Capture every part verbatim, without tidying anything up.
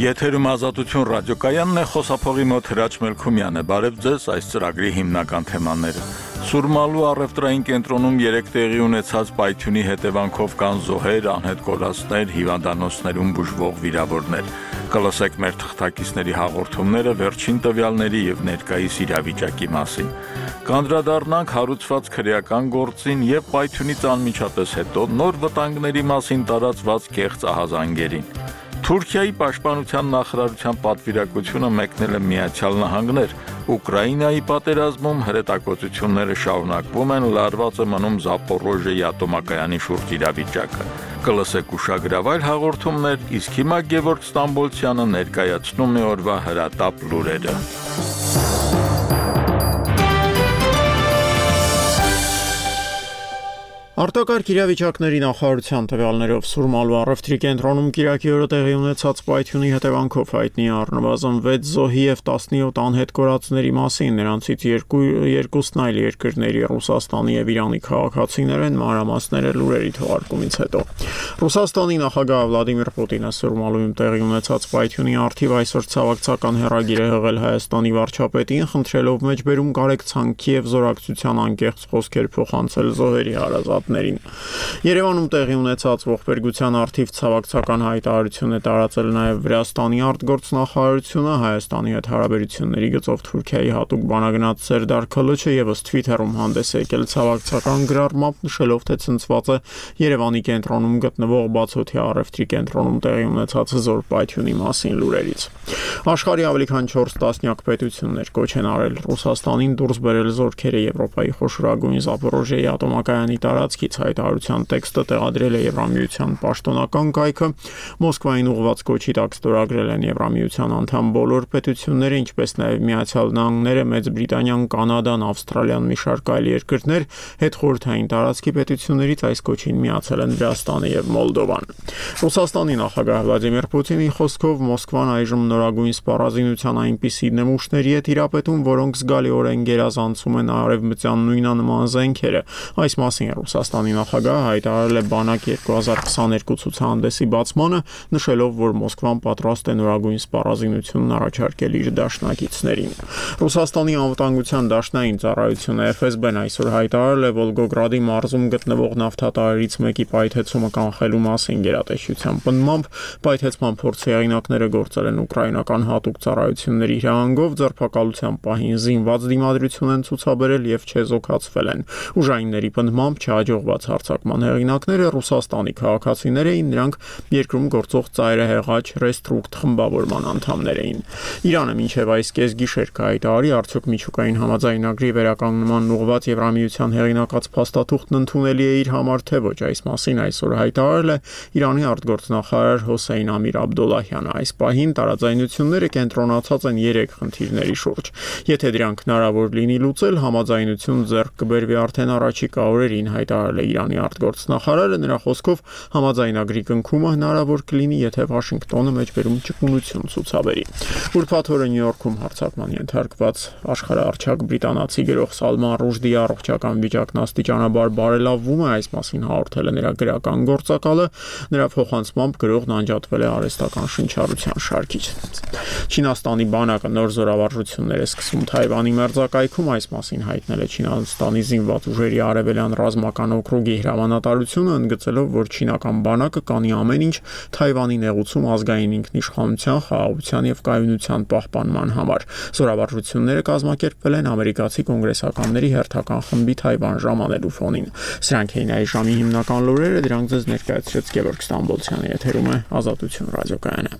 Եթերում Ազատություն ռադիոկայանն է, խոսափողի մոտ Հրաչ Մելքումյանը։ Բարև ձեզ, այս ծրագրի հիմնական թեմաները։ Սուրմալու առևտրային կենտրոնում երեք տեղի ունեցած պայթյունի հետևանքով կան զոհեր, անհետ կորածներ, հիվանդանոցներում բուժվող վիրավորներ։ Կլսեք մեր թղթակիցների հաղորդումները վերջին տվյալների եւ ներկայիս իրավիճակի մասին։ Կանդրադառնանք հարուցված քրեական գործին եւ պայթյունից անմիջապես հետո նոր վտանգների մասին տարածված կեղծ ահազանգերին։ Թուրքիայի պաշտպանության նախարարության պատվիրակությունը մեկնել է Միացյալ Նահանգներ։ Ուկրաինայի պատերազմում հրետակոծությունները շարունակվում են, լարված է մնում Զապորոժիեի ատոմակայանի շուրջ իրավիճակը։ Կլսեք ուշագրավ այլ հաղորդումներ, իսկ հիմա Գևորգ Ստամբոլցյանը ներկայացնում է օրվա հրատապ լուրերը։ Արտակարգ իրավիճակների նախարարության տվյալներով Սուրմալու առևտրի կենտրոնում կիրակի օրը տեղի ունեցած պայթյունի հետևանքով հայտնի է առնվազն վեց զոհի եւ տասնյոթ անհետ կորածների մասին, նրանցից երկու երկուսն այլ երկրների Ռուսաստանի եւ Իրանի քաղաքացիներ են, մանրամասները լուրերի թողարկումից հետո։ Ռուսաստանի նախագահ Վլադիմիր Պուտինը Սուրմալուում տեղի ունեցած պայթյունի առթիվ այսօր ցավակցական հեռագիր է հղել Հայաստանի վարչապետին, խնդրելով մեջբերում կարեկցանքի եւ զորակցության անկեղծ խոսքեր փոխանցել զոհերի հարազատ Երևանում տեղի ունեցած ողբերգության առթիվ ցավակցական հայտարարություն է տարածել նաև Վրաստանի արտգործնախարարությունը, Հայաստանի հետ հարաբերությունների գծով Թուրքիայի հատուկ բանագնաց Սերդար Քլիչը եւս Twitter-ում հանդես է եկել ցավակցական գրառմամբ, նշելով, թե ցնցված է Երևանի կենտրոնում գտնվող Բացօթյա առևտրի կենտրոնում տեղի ունեցած զոր պայթյունի մասին լուրերից։ Աշխարհի ավելի քան չորս տասնյակ պետություններ կոչ են արել Ռուսաստանին դուրս բերել զորքերը Եվրոպայի խոշորագույն Զապորոժիեի ատոմակայանի տարածքից հայտարարության տեքստը տեղադրել է Եվրամիության պաշտոնական կայքը, Մոսկվային ուղղված կոչի տակ ստորագրել են Եվրամիության անդամ բոլոր պետությունները, ինչպես նաև Միացյալ Նահանգները, Մեծ Բրիտանիան, Կանադան, Ավստրալիան, մի շարք այլ երկրներ, հետխորհրդային տարածքի պետություններից այս կոչին միացել են Վրաստանը եւ Մոլդովան։ Ռուսաստանի նախագահ Վլադիմիր Պուտինի խոսքով Մոսկվան այժմ նորագույն սպառազինության այնպիսի նմուշների է տիրապետում, որոնք զգալիորեն գերազանցում են արևմտյան նույնանման զենքերը։ Այս մասին Ռուսաստանի նախագահը հայտարարել է բանակ երկու հազար քսաներկու ցուցահանդեսի բացմանը, նշելով, որ Մոսկվան պատրաստ է նորագույն սպառազինությունն առաջարկել իր դաշնակիցներին։ Ռուսաստանի անվտանգության դաշնային ծառայությունը Էֆ Էս Բեն այսօր հայտարարել է Վոլգոգրադի մարզում գտնվող նավթատարներից մեկի պայթեցումը կանխելու մասին գերատեսչության պնդմամբ, պայթեցման փորձի հեղինակները գործել են ուկրաինական հատուկ ծառայությունների հրահանգով, ձերբակալության պահին զինված դիմադրություն են ցուցաբերել եւ չեզոքացվել են։ Ուժայինների պնդմամբ չհաջողված հարձակման հեղինակները Ռուսաստանի քաղաքացիներ էին, նրանք երկրում գործող ծայրահեղաչ Ռեստրուկտ խմբավորման անդամներ էին։ Իրանը մինչև այս կեսգիշեր կհայտարարի, արդյոք միջուկային համաձայնագրի վերականգնման ուղղված Եվրամիության հեղինակած փաստաթուղթն ընդունելի է իր համար, թե ոչ, այս մասին այսօր հայտարարել է Իրանի արտգործնախարար Հոսեյն Ամիր Աբդոլլահյանը։ Այս պահին տարաձայնությունները կենտրոնացած են երեք խնդիրների շուրջ։ Եթե դրանք հնարավոր լինի լուծել, համաձայնություն ձեռք կբերվի արդեն առաջիկա օրերին, հայտարարել է Իրանի արտգործնախարարը, նրա խոսքով համաձայնագրի կնքումը հնարավոր կլինի, եթե Վաշինգտոնը մեջբերում ճկունություն ցուցաբերի։ Ուրբաթ օրը Նյու Յորքում հարձակման ենթարկված աշխարհահռչակ բրիտանացի գրող Սալման Ռուշդիի առողջական վիճակն աստիճանաբար բարելավվում է, այս մասին հաղորդել է նրա գրական գործակալը, նրա փոխանցմամբ գրողն անջատվել է արհեստական շնչառության շարքից։ Չինաստանի բանակը նոր զորավարժություններ է սկսում Թայվանի մերձակայքում, այս մասին հայտնել է Չինաստանի զինված ուժերի արևելյան ռազմական օկրուգի հրամանատարությունը, ընդգծելով, որ չինական բանակը կանի ամեն ինչ Թայվանի նեղուցում ազգային ինքնիշխանության, խաղաղության եւ կայունության պահպանման համար։ Զորավարժությունները կազմակերպվել են ամերիկացի կոնգրեսականների հերթական խմբի Թայվան ժամանելու ֆոնին։ Սրանք էին այս ժամի հիմնական լուրերը, դրանք ձեզ ներկայացրեց Գևորգ Ստամբոլցյանը, եթերում է Ազատություն ռադիոկայանը։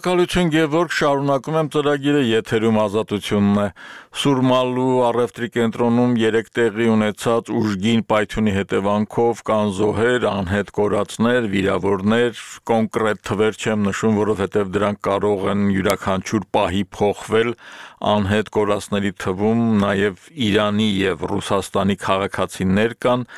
Շնորհակալություն Գևորգ, շարունակում եմ ծրագիրը, եթերում Ազատությունն է։ Սուրմալու առևտրի կենտրոնում երեք տեղի ունեցած ուժգին պայթյունի հետևանքով կան զոհեր, անհետ կորածներ, վիրավորներ, կոնկրետ թվեր չեմ նշում, որովհետև դրանք կարող են յուրաքանչյուր պահի փոխվել, անհետ կորածների թվում նաև Իրանի եւ Ռուսաստանի քաղաքացիներ կան։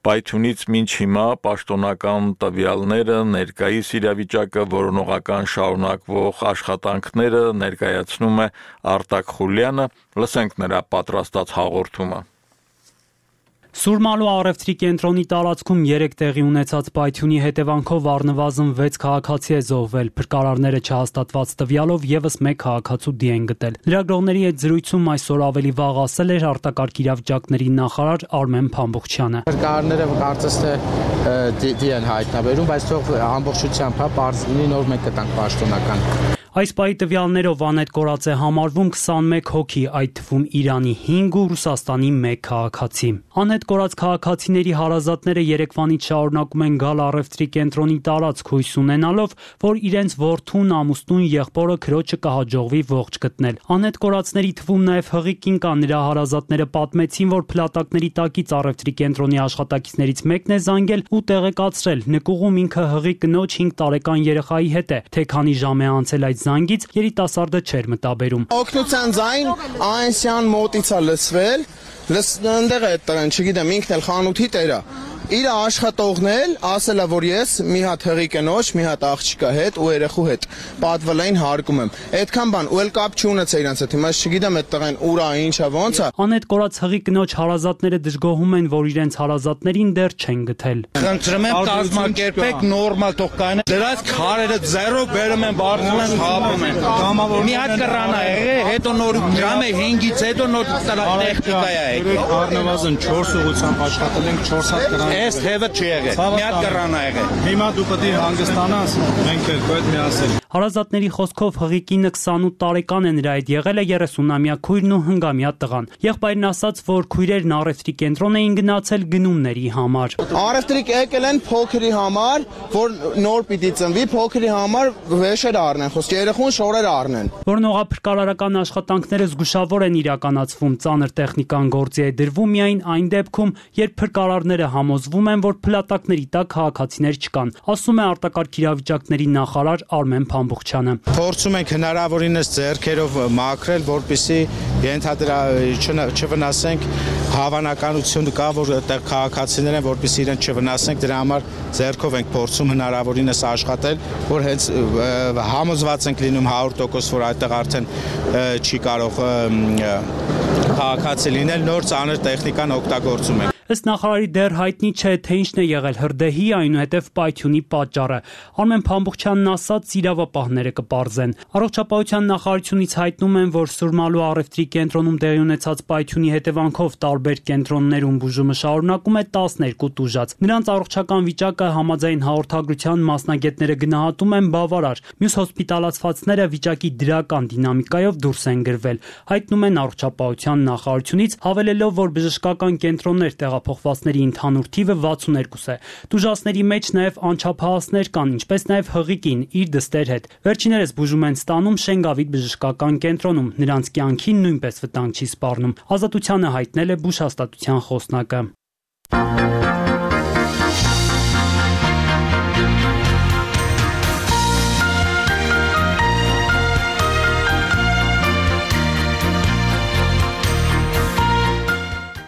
Պայթյունից մինչ հիմա պաշտոնական տվյալները, ներկայիս իրավիճակը, որոնողական շարունակվող աշխատանքները ներկայացնում է Արտակ Խուլյանը, լսենք նրա պատրաստած հաղորդումը։ Սուրմալու առևտրի կենտրոնի տարածքում երեք տեղի ունեցած պայթյունի հետևանքով առնվազն վեց քաղաքացի է զոհվել, փրկարարները չհաստատված տվյալով եւս մեկ քաղաքացու դի են գտել։ Լրագրողների հետ զրույցում այսօր ավելի վաղ ասել էր արտակարգ իրավիճակների նախարար Արմեն Փամբուխչյանը։ Փրկարարները կարծես թե դի են հայտնաբերում, բայց թող ամբողջությամբ հա բարձ լինի, նոր մեկ կտանք պաշտոնական։ Այս պահի տվյալներով անհետ կորած է համարվում քսանմեկ հոգի, այդ թվում Իրանի հինգ ու Ռուսաստանի մեկ քաղաքացի։ Անհետ կորած քաղաքացիների հարազատները երեկվանից շարունակում են գալ առևտրի կենտրոնի տարածք, հույս ունենալով, որ իրենց որդուն, ամուսնուն, եղբորը քրոջը կհաջողվի ողջ գտնել։ Անհետ կորածների թվում նաև հղի կին կա, նրա հարազատները պատմեցին, որ փլատակների տակից առևտրի կենտրոնի աշխատակիցներից մեկն է զանգել ու տեղեկացրել, նկուղում ինքը հղի կնոջ հինգ տարեկան երեխայի հետ է, թե քանի ժամ է անցել այդ զանգից, երիտասարդը չէր մտաբերում։ Օգնության ձայն այնսյան մոտից է լսվել, ընդեղ է տղեն, չգիտեմ, ինքն էլ խանութի տերը։ Իր աշխատողն էլ ասել է, որ ես մի հատ հղի կնոջ, մի հատ աղջիկա հետ ու երեխու հետ պատվել էին հարկում եմ։ Այդքան բան, ու էլ կապ չունեցա իրանց հետ, հիմա չգիտեմ այդ տղեն ուր է, ինչ է, ոնց է։ Անհետ կորած հղի կնոջ հարազատները դժգոհում են, որ իրենց հարազատներին դեռ չեն գտել։ Խնդրում եմ կազմակերպեք նորմալ թող կային։ Դրանց քարերը զերո բերում են, բարձում են, խաբում են։ Մի հատ կռան է եղել, հետո նոր ժամը հինգից հետո նոր տեխնիկա է եկել։ Առնվազն չորս ուղղությամբ աշխատել ենք չորս հատ կռան։ Այս թևը չի եղել։ Մի հատ կռան է եղել։ Հիմա դու պետք է հանգստանաս, մենք էլ պետք է միասին։ Հարազատների խոսքով հղի կինը քսանութ տարեկան է, նրա հետ եղել է երեսունամյա քույրն ու հնգամյա տղան։ Եղբայրն ասաց, որ քույրերն առևտրի կենտրոն էին գնացել գնումների համար։ Առևտրիկ եկել են փոքրի համար, որ նոր պիտի ծնվի, փոքրի համար վեշեր առնեն, խոսք երեխուն շորեր առնեն։ Որոնողափրկարարական աշխատանքները զգուշավոր են իրականացվում, ծանր տեխնիկան գործի է դրվում միայն այն դեպքում, երբ փրկարարները համոզվում են, որ փլատակների տակ քաղաքացիներ չկան, ասում է արտակարգ իրավիճակների նախարար Արմեն Փամբուխչյանը։ Փորձում ենք հնարավորինս ձեռքերով մաքրել, որպեսզի ենթադրա չվնասենք, հավանականություն կա, որ այդտեղ քաղաքացիներ են, որպեսզի իրեն չվնասենք, դրա համար ձեռքով ենք փորձում հնարավորինս աշխատել, որ հենց համոզված ենք լինում հարյուր տոկոս, որ այդտեղ արդեն չի կարող քաղաքացի լինել, նոր ծանր տեխնիկան օգտագործում ենք։ Ըստ նախարարի դեռ հայտնի չէ, թե ինչն է եղել հրդեհի, այնուհետև պայթյունի պատճառը։ Արմեն Փամբուխչյանն ասաց, իրավապահները կպարզեն։ Առողջապահության նախարարությունից հայտնում են, որ Սուրմալու առևտրի կենտրոնում տեղի ունեցած պայթյունի հետևանքով տարբեր կենտրոններում բուժումը շարունակում է տասներկու տուժած։ Նրանց առողջական վիճակը համաձայն հաղորդագրության մասնագետները գնահատում են բավարար։ Մյուս հոսպիտալացվածները վիճակի դրական դինամիկայով դուրս են գրվել։ Հայտնում են առողջապահության նախարարությունից, հավելելով, որ բժշկական կենտրոններ տեղափոխվածների ընդհանուր թիվը վաթսուններկու է։ Տուժածների մեջ նաև անչափահասներ կան, ինչպես նաև հղի կին իր դստեր հետ։ Վերջիներս բուժում են ստանում Շենգավիթ բժշկական կենտրոնում, նրանց կյանքին նույնպես վտանգ չի սպառնում։ Ազատությանը հայտնել է բուժհաստատության խոսնակը։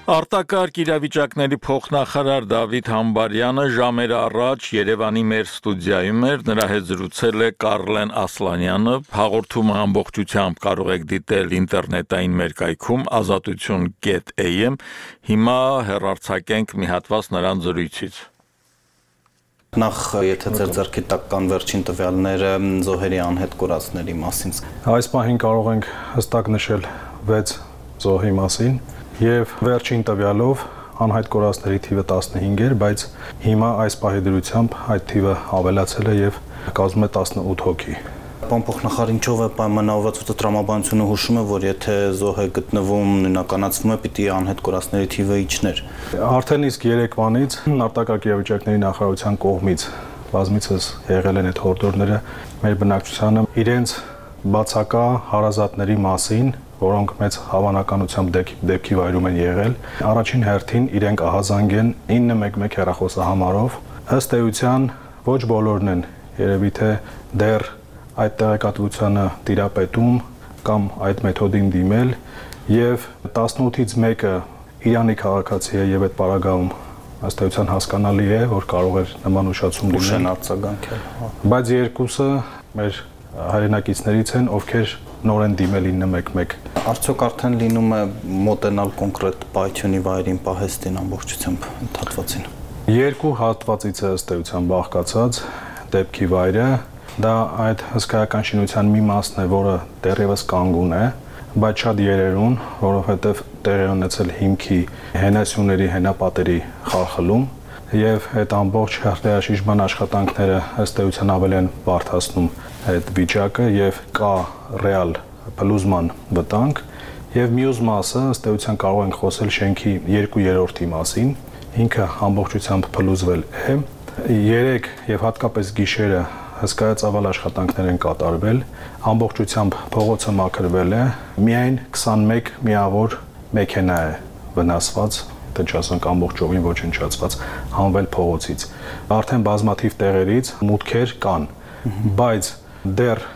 Արտակարգ իրավիճակների փոխնախարար Դավիթ Համբարյանը ժամեր առաջ Երևանի մեր ստուդիայում էր, նրա հետ զրուցել է Կարլեն Ասլանյանը, հաղորդումը ամբողջությամբ կարող եք դիտել ինտերնետային մեր կայքում ազատություն կետ էյ էմ, հիմա հեռարձակենք մի հատված նրան զրույցից։ Նախ եթե ձեր ձեռքի տակ կան վերջին տվյալները զոհերի անհետ կորածների մասին։ Այս պահին կարող ենք հստակ նշել վեց զոհի մասին եւ վերջին տվյալով անհայտ կորածների թիվը տասնհինգ էր, բայց հիմա այս պահի դրությամբ այդ թիվը ավելացել է եւ կազմում է տասնութ հոգի։ Պարոն փոխնախարար, ինչով է պայմանավորված, որ տրամաբանությունը հուշում է, որ եթե զոհ է գտնվում, նույնականացվում է, պիտի անհետ կորածների թիվը իջներ։ Արդեն իսկ երեկվանից արտակարգ իրավիճակների նախարարության կողմից բազմիցս եղել են այդ հորդորները մեր բնակչությանը իրենց բացակա հարազատների մասին, որոնք մեծ հավանականությամբ դեպքի վայրում են եղել, առաջին հերթին իրենք ահազանգեն ինը մեկ մեկ հեռախոսահամարով, ըստ էության ոչ բոլորն են երևի թե դեռ այդ տեղեկատվությանը տիրապետում կամ այդ մեթոդին դիմել եւ տասնութից մեկը Իրանի քաղաքացի է եւ այդ պարագայում ըստ էության հասկանալի է, որ կարող էր նման ուշացում դիմել արձագանքել, բայց երկուսը մեր հայրենակիցներից են, ովքեր նոր են դիմել ինը մեկ մեկ։ Արդյոք արդեն լինում է մոտենալ կոնկրետ պայթյունի վայրին պահեստին ամբողջությամբ հատվածին։ Երկու հատվածից է ըստ էության բաղկացած դեպքի վայրը, դա այդ հսկայական շինության մի մասն է, որը դեռևս կանգուն է, բայց շատ երերուն, որովհետև տեղի ունեցել հիմքի հենասյուների, հենապատերի խախլում եւ այդ ամբողջ հրդեհաշիժման աշխատանքները ըստ էության ավելի են բարդացնում այդ վիճակը եւ կա ռեալ փլուզման վտանգ եւ մյուս մասը ըստ էության կարող ենք խոսել շենքի երկու երրորդի մասին, ինքը ամբողջությամբ փլուզվել է, երեք եւ հատկապես գիշերը հսկայածավալ աշխատանքներ են կատարվել, ամբողջությամբ փողոցը մաքրվել է, միայն քսանմեկ միավոր մեքենա է վնասված, թե չասենք ամբողջովին ոչնչացված, հանվել փողոցից։ Արդեն բազմաթիվ տեղերից մուտքեր կան, բայց դեռ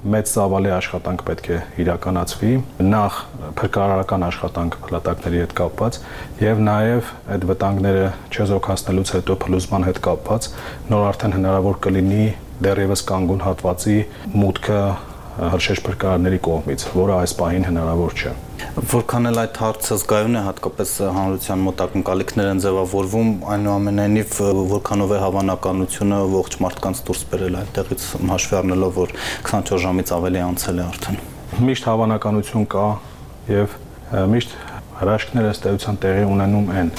մեծ ծավալի աշխատանք պետք է իրականացվի, նախ փրկարարական աշխատանք փլատակների հետ կապված եւ նաեւ այդ վտանգները չեզոքացնելուց հետո փլուզման հետ կապված նոր արդեն հնարավոր կլինի դեռևս կանգուն հատվածի մուտքը հրշեջ փրկարարների կողմից, որը այս պահին հնարավոր չէ։ Որքան էլ այդ հարցը զգայուն է, հատկապես հանրության մոտ ակնկալիքներ են ձևավորվում, այնուամենայնիվ որքանով է հավանականությունը ողջ մարդկանց դուրս բերել այդտեղից հաշվի առնելով, որ քսանչորս ժամից ավելի անցել է արդեն։ Միշտ հավանականություն կա եւ միշտ հրաշքները ըստ էության տեղի ունենում են,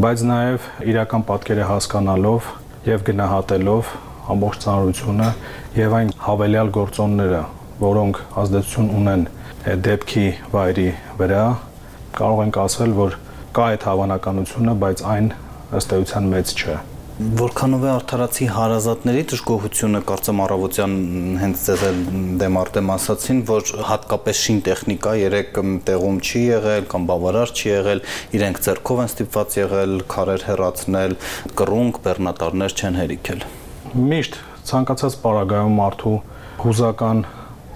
բայց նաեւ իրական պատկերը հասկանալով եւ գնահատելով ամբողջ ծանրությունը եւ այն հավելյալ գործոնները, որոնք ազդեցություն ունեն դեպքի վայրի վրա, կարող ենք ասել, որ կա այդ հավանականությունը, բայց այն ըստ էության մեծ չէ։ Որքանով է արդարացի հարազատների դժգոհությունը, կարծեմ առավոտյան հենց ձեզ էլ դեմարտեմ ասացին, որ հատկապես շին տեխնիկա երեք տեղում չի եղել կամ բավարար չի եղել, իրենք ձեռքով են ստիպված եղել քարեր հեռացնել, կռունկ, բեռնատարներ չեն հերիքել։ Միշտ ցանկացած պարագայում մարդու հուզական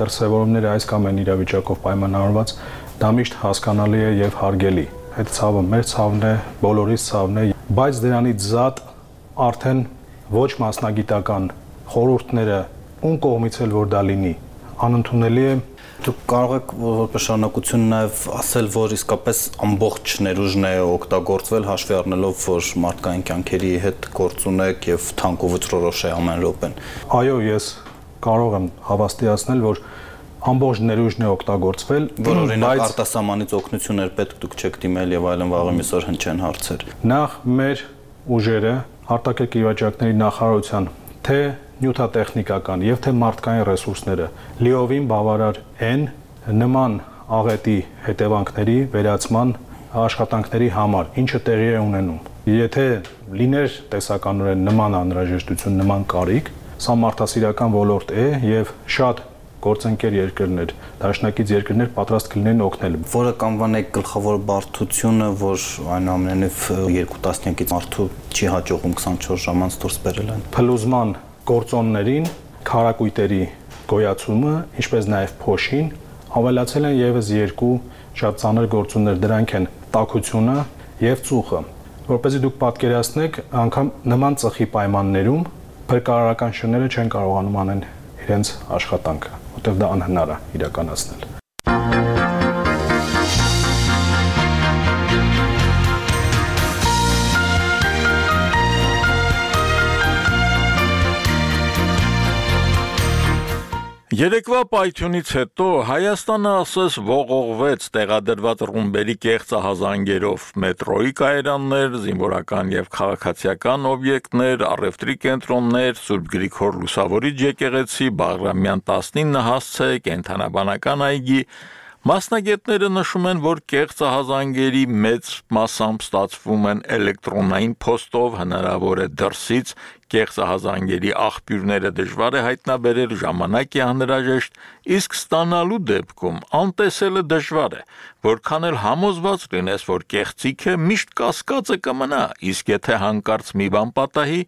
դրսևորումները այս կամ այն իրավիճակով պայմանավորված, դա միշտ հասկանալի է եւ հարգելի։ Այդ ցավը մեր ցավն է, բոլորիս ցավն է, բայց դրանից զատ արդեն ոչ մասնագիտական խորհուրդները ում կողմից էլ որ դա լինի, անընդունելի է։ Դուք կարող եք որպես շարունակություն նաև ասել, որ իսկապես ամբողջ ներուժն է օգտագործվել հաշվի առնելով, որ մարդկային կյանքերի հետ գործ ունեք եւ թանկ ու վճռորոշ է ամեն րոպեն։ Այո, ես կարող եմ հավաստիացնել, որ ամբողջ ներուժն է օգտագործվել, որ օրինակ արտասահմանից օգնություններ պետք դուք չեք դիմել եւ այլն վաղը միսօր հնչեն հարցեր։ Նախ մեր ուժերը արտաքին իրավիճակների նախարարության թե նյութատեխնիկական եւ թե մարդկային ռեսուրսները լիովին բավարար են նման աղետի հետևանքների վերացման աշխատանքների համար, ինչը տեղի է ունենում։ Եթե լիներ տեսականորեն նման անհրաժեշտություն, նման կարիք, սա մարդասիրական ոլորտ է եւ շատ գործընկեր երկրներ, դաշնակից երկրներ պատրաստ կլինեն օգնել։ Որը կանվանեք գլխավոր բարդությունը, որ այնուամենայնիվ երկու տասնյակից մարդու չի հաջողում քսանչորս ժամանց դուրս բերել այն։ Փլուզման գործոններին քարակույտերի գոյացումը, ինչպես նաև փոշին, ավելացել են եւս երկու շատ ծանր գործոններ, դրանք են տաքությունը եւ ծուխը։ Որպեսզի դուք պատկերացնեք, անգամ նման ծխի պայմաններում փրկարարական շները չեն կարողանում անել իրենց աշխատանքը, որտեղ դա անհնար է իրականացնել։ Երեկվա պայթյունից հետո Հայաստանը ասես ողողվեց տեղադրված ռումբերի կեղծ ահազանգերով, մետրոյի կայարաններ, զինվորական եւ քաղաքացիական օբյեկտներ, առևտրի կենտրոններ, Սուրբ Գրիգոր Լուսավորիչ եկեղեցի, Բաղրամյան տասնինը հասցե, կենդանաբանական այգի։ Մասնագետները նշում են, որ կեղծ ահազանգերի մեծ մասամբ ստացվում են էլեկտրոնային փոստով, հնարավոր է դրսից կեղծահազանգերի աղբյուրները դժվար է հայտնաբերել, ժամանակ է անհրաժեշտ, իսկ ստանալու դեպքում անտեսելը դժվար է, որքան էլ համոզված լինես, որ կեղծիքը միշտ կասկածը կմնա, իսկ եթե հանկարծ մի բան պատահի,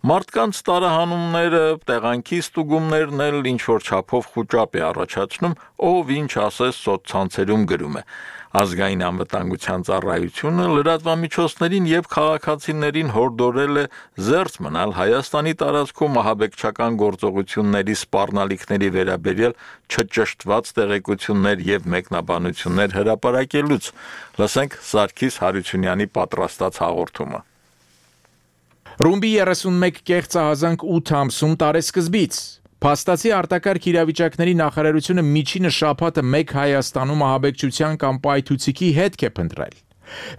մարդկանց տարահանումները, տեղանքի ստուգումներն էլ ինչ-որ չափով խուճապ է առաջացնում, ով ինչ ասես սոցցանցերում գրում է։ Ազգային անվտանգության ծառայությունը լրատվամիջոցներին եւ քաղաքացիներին հորդորել է զերծ մնալ Հայաստանի տարածքում ահաբեկչական գործողությունների սպառնալիքների վերաբերյալ չճշտված տեղեկություններ եւ մեկնաբանություններ հրապարակելուց։ Լսենք Սարգիս Հարությունյանի պատրաստած հաղորդումը։ Ռումբի երեսունմեկ կեղծահազանգ ութ ամսում տարեսկզբից Փաստացի արտակարգ իրավիճակների նախարարությունը միջինը շաբաթը մեկ Հայաստանում ահաբեկչության կամ պայթուցիկի հետք է փնտրել։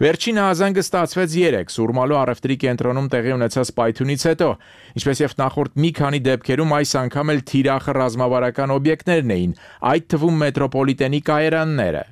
Վերջին հազանգը ստացվեց երեկ Սուրմալու առևտրի կենտրոնում տեղի ունեցած պայթյունից հետո, ինչպես եւ նախորդ մի քանի դեպքերում այս անգամ էլ թիրախը ռազմավարական օբյեկտներն էին, այդ թվում մետրոպոլիտենի կայարանները։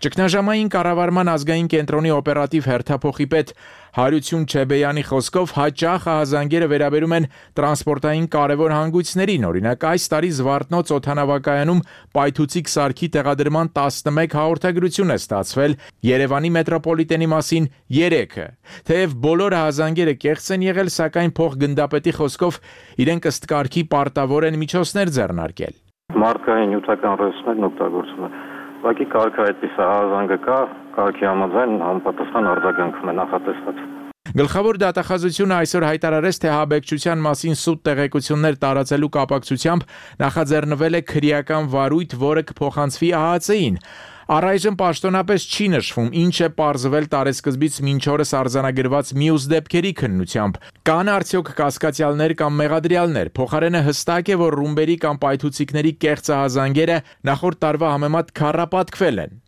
Ճգնաժամային կառավարման ազգային կենտրոնի օպերատիվ հերթափոխի պետ Հարություն Չեբեյանի խոսքով հաճախ ահազանգերը վերաբերում են տրանսպորտային կարևոր հանգույցներին, օրինակ այս տարի Զվարթնոց օդանավակայանում պայթուցիկ սարքի տեղադրման տասնմեկ հաղորդագրություն է ստացվել, Երևանի մետրոպոլիտենի մասին երեքը։ Թեև բոլոր ահազանգերը կեղծ են եղել, սակայն փոխգնդապետի խոսքով իրենք ըստ կարգի պարտավոր են միջոցներ ձեռնարկել։ Մարդկային նյութական ռեսուրսներն օգտագործում են Ուղղակի կարգը այդպես հազանգը կա, կարգի համաձայն համապատասխան արձագանքում է նախատեսված։ Գլխավոր դատախազությունը այսօր հայտարարեց, թե ահաբեկչության մասին սուտ տեղեկություններ տարածելու կապակցությամբ նախաձեռնվել է քրեական վարույթ, որը կփոխանցվի ԱՀԾ-ին։ Առայժմ պաշտոնապես չի նշվում, ինչ է պարզվել տարեսկզբից մինչ օրս արձանագրված մյուս դեպքերի քննությամբ։ Կան արդյոք կասկածյալներ կամ մեղադրյալներ։ Փոխարենը հստակ է, որ ռումբերի կամ պայթուցիկների կեղծահազանգերը նախորդ տարվա համեմատ քառապատկվել են։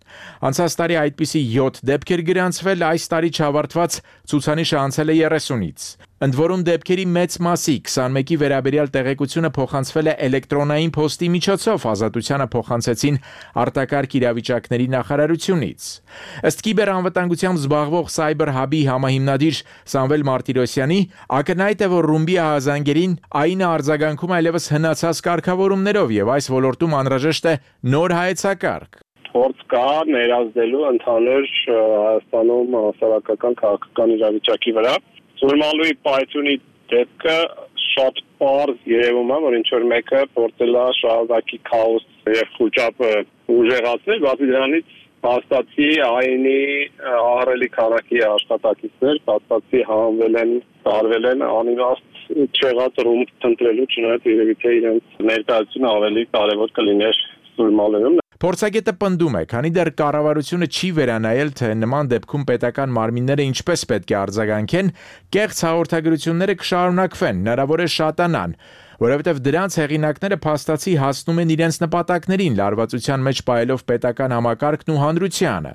Անցած տարի այդպիսի յոթ դեպքեր գրանցվել, այս տարի չավարտված ցուցանիշը անցել է երեսունից։ Ընդ որում դեպքերի մեծ մասի քսանմեկի վերաբերյալ տեղեկությունը փոխանցվել է էլեկտրոնային փոստի միջոցով, ազատությանը փոխանցեցին արտակարգ իրավիճակների նախարարությունից։ Ըստ կիբերանվտանգությամբ զբաղվող Cyber Hub-ի համահիմնադիր Սամվել Մարտիրոսյանի, ակնհայտ է, որ ռումբի ահազանգերին ԱԻՆ-ը արձագանքում այլևս հնացած կարգավորումներով եւ այս ոլորտում անհրաժեշտ է նոր հայեցակարգ։ Փորձ կա ներազդելու ընդհանուր Հայաստանում հասարակական քաղաքական իրավիճակի վրա։ Սուրմալուի պայթյունի դեպքը շատ պարզ երևում է, որ ինչ-որ մեկը փորձել է շարունակի քաոս եւ խուճապը ուժեղացնել, բացի դրանից փաստացի ԱԻՆ-ի ահռելի քանակի աշխատակիցներ փաստացի հանվել են, տարվել են անիմաստ չեղած ռումբ տնտրելու, չնայած երևի թե իրենց ներկայությունը ավելի կարևոր կլիներ Սուրմալուում։ Փորձագետը պնդում է, քանի դեռ կառավարությունը չի վերանայել, թե նման դեպքում պետական մարմինները ինչպես պետք է արձագանքեն, կեղծ հաղորդագրությունները կշարունակվեն, հնարավոր է շատանան, որովհետև դրանց հեղինակները փաստացի հասնում են իրենց նպատակներին, լարվածության մեջ պահելով պետական համակարգն ու հանրությանը։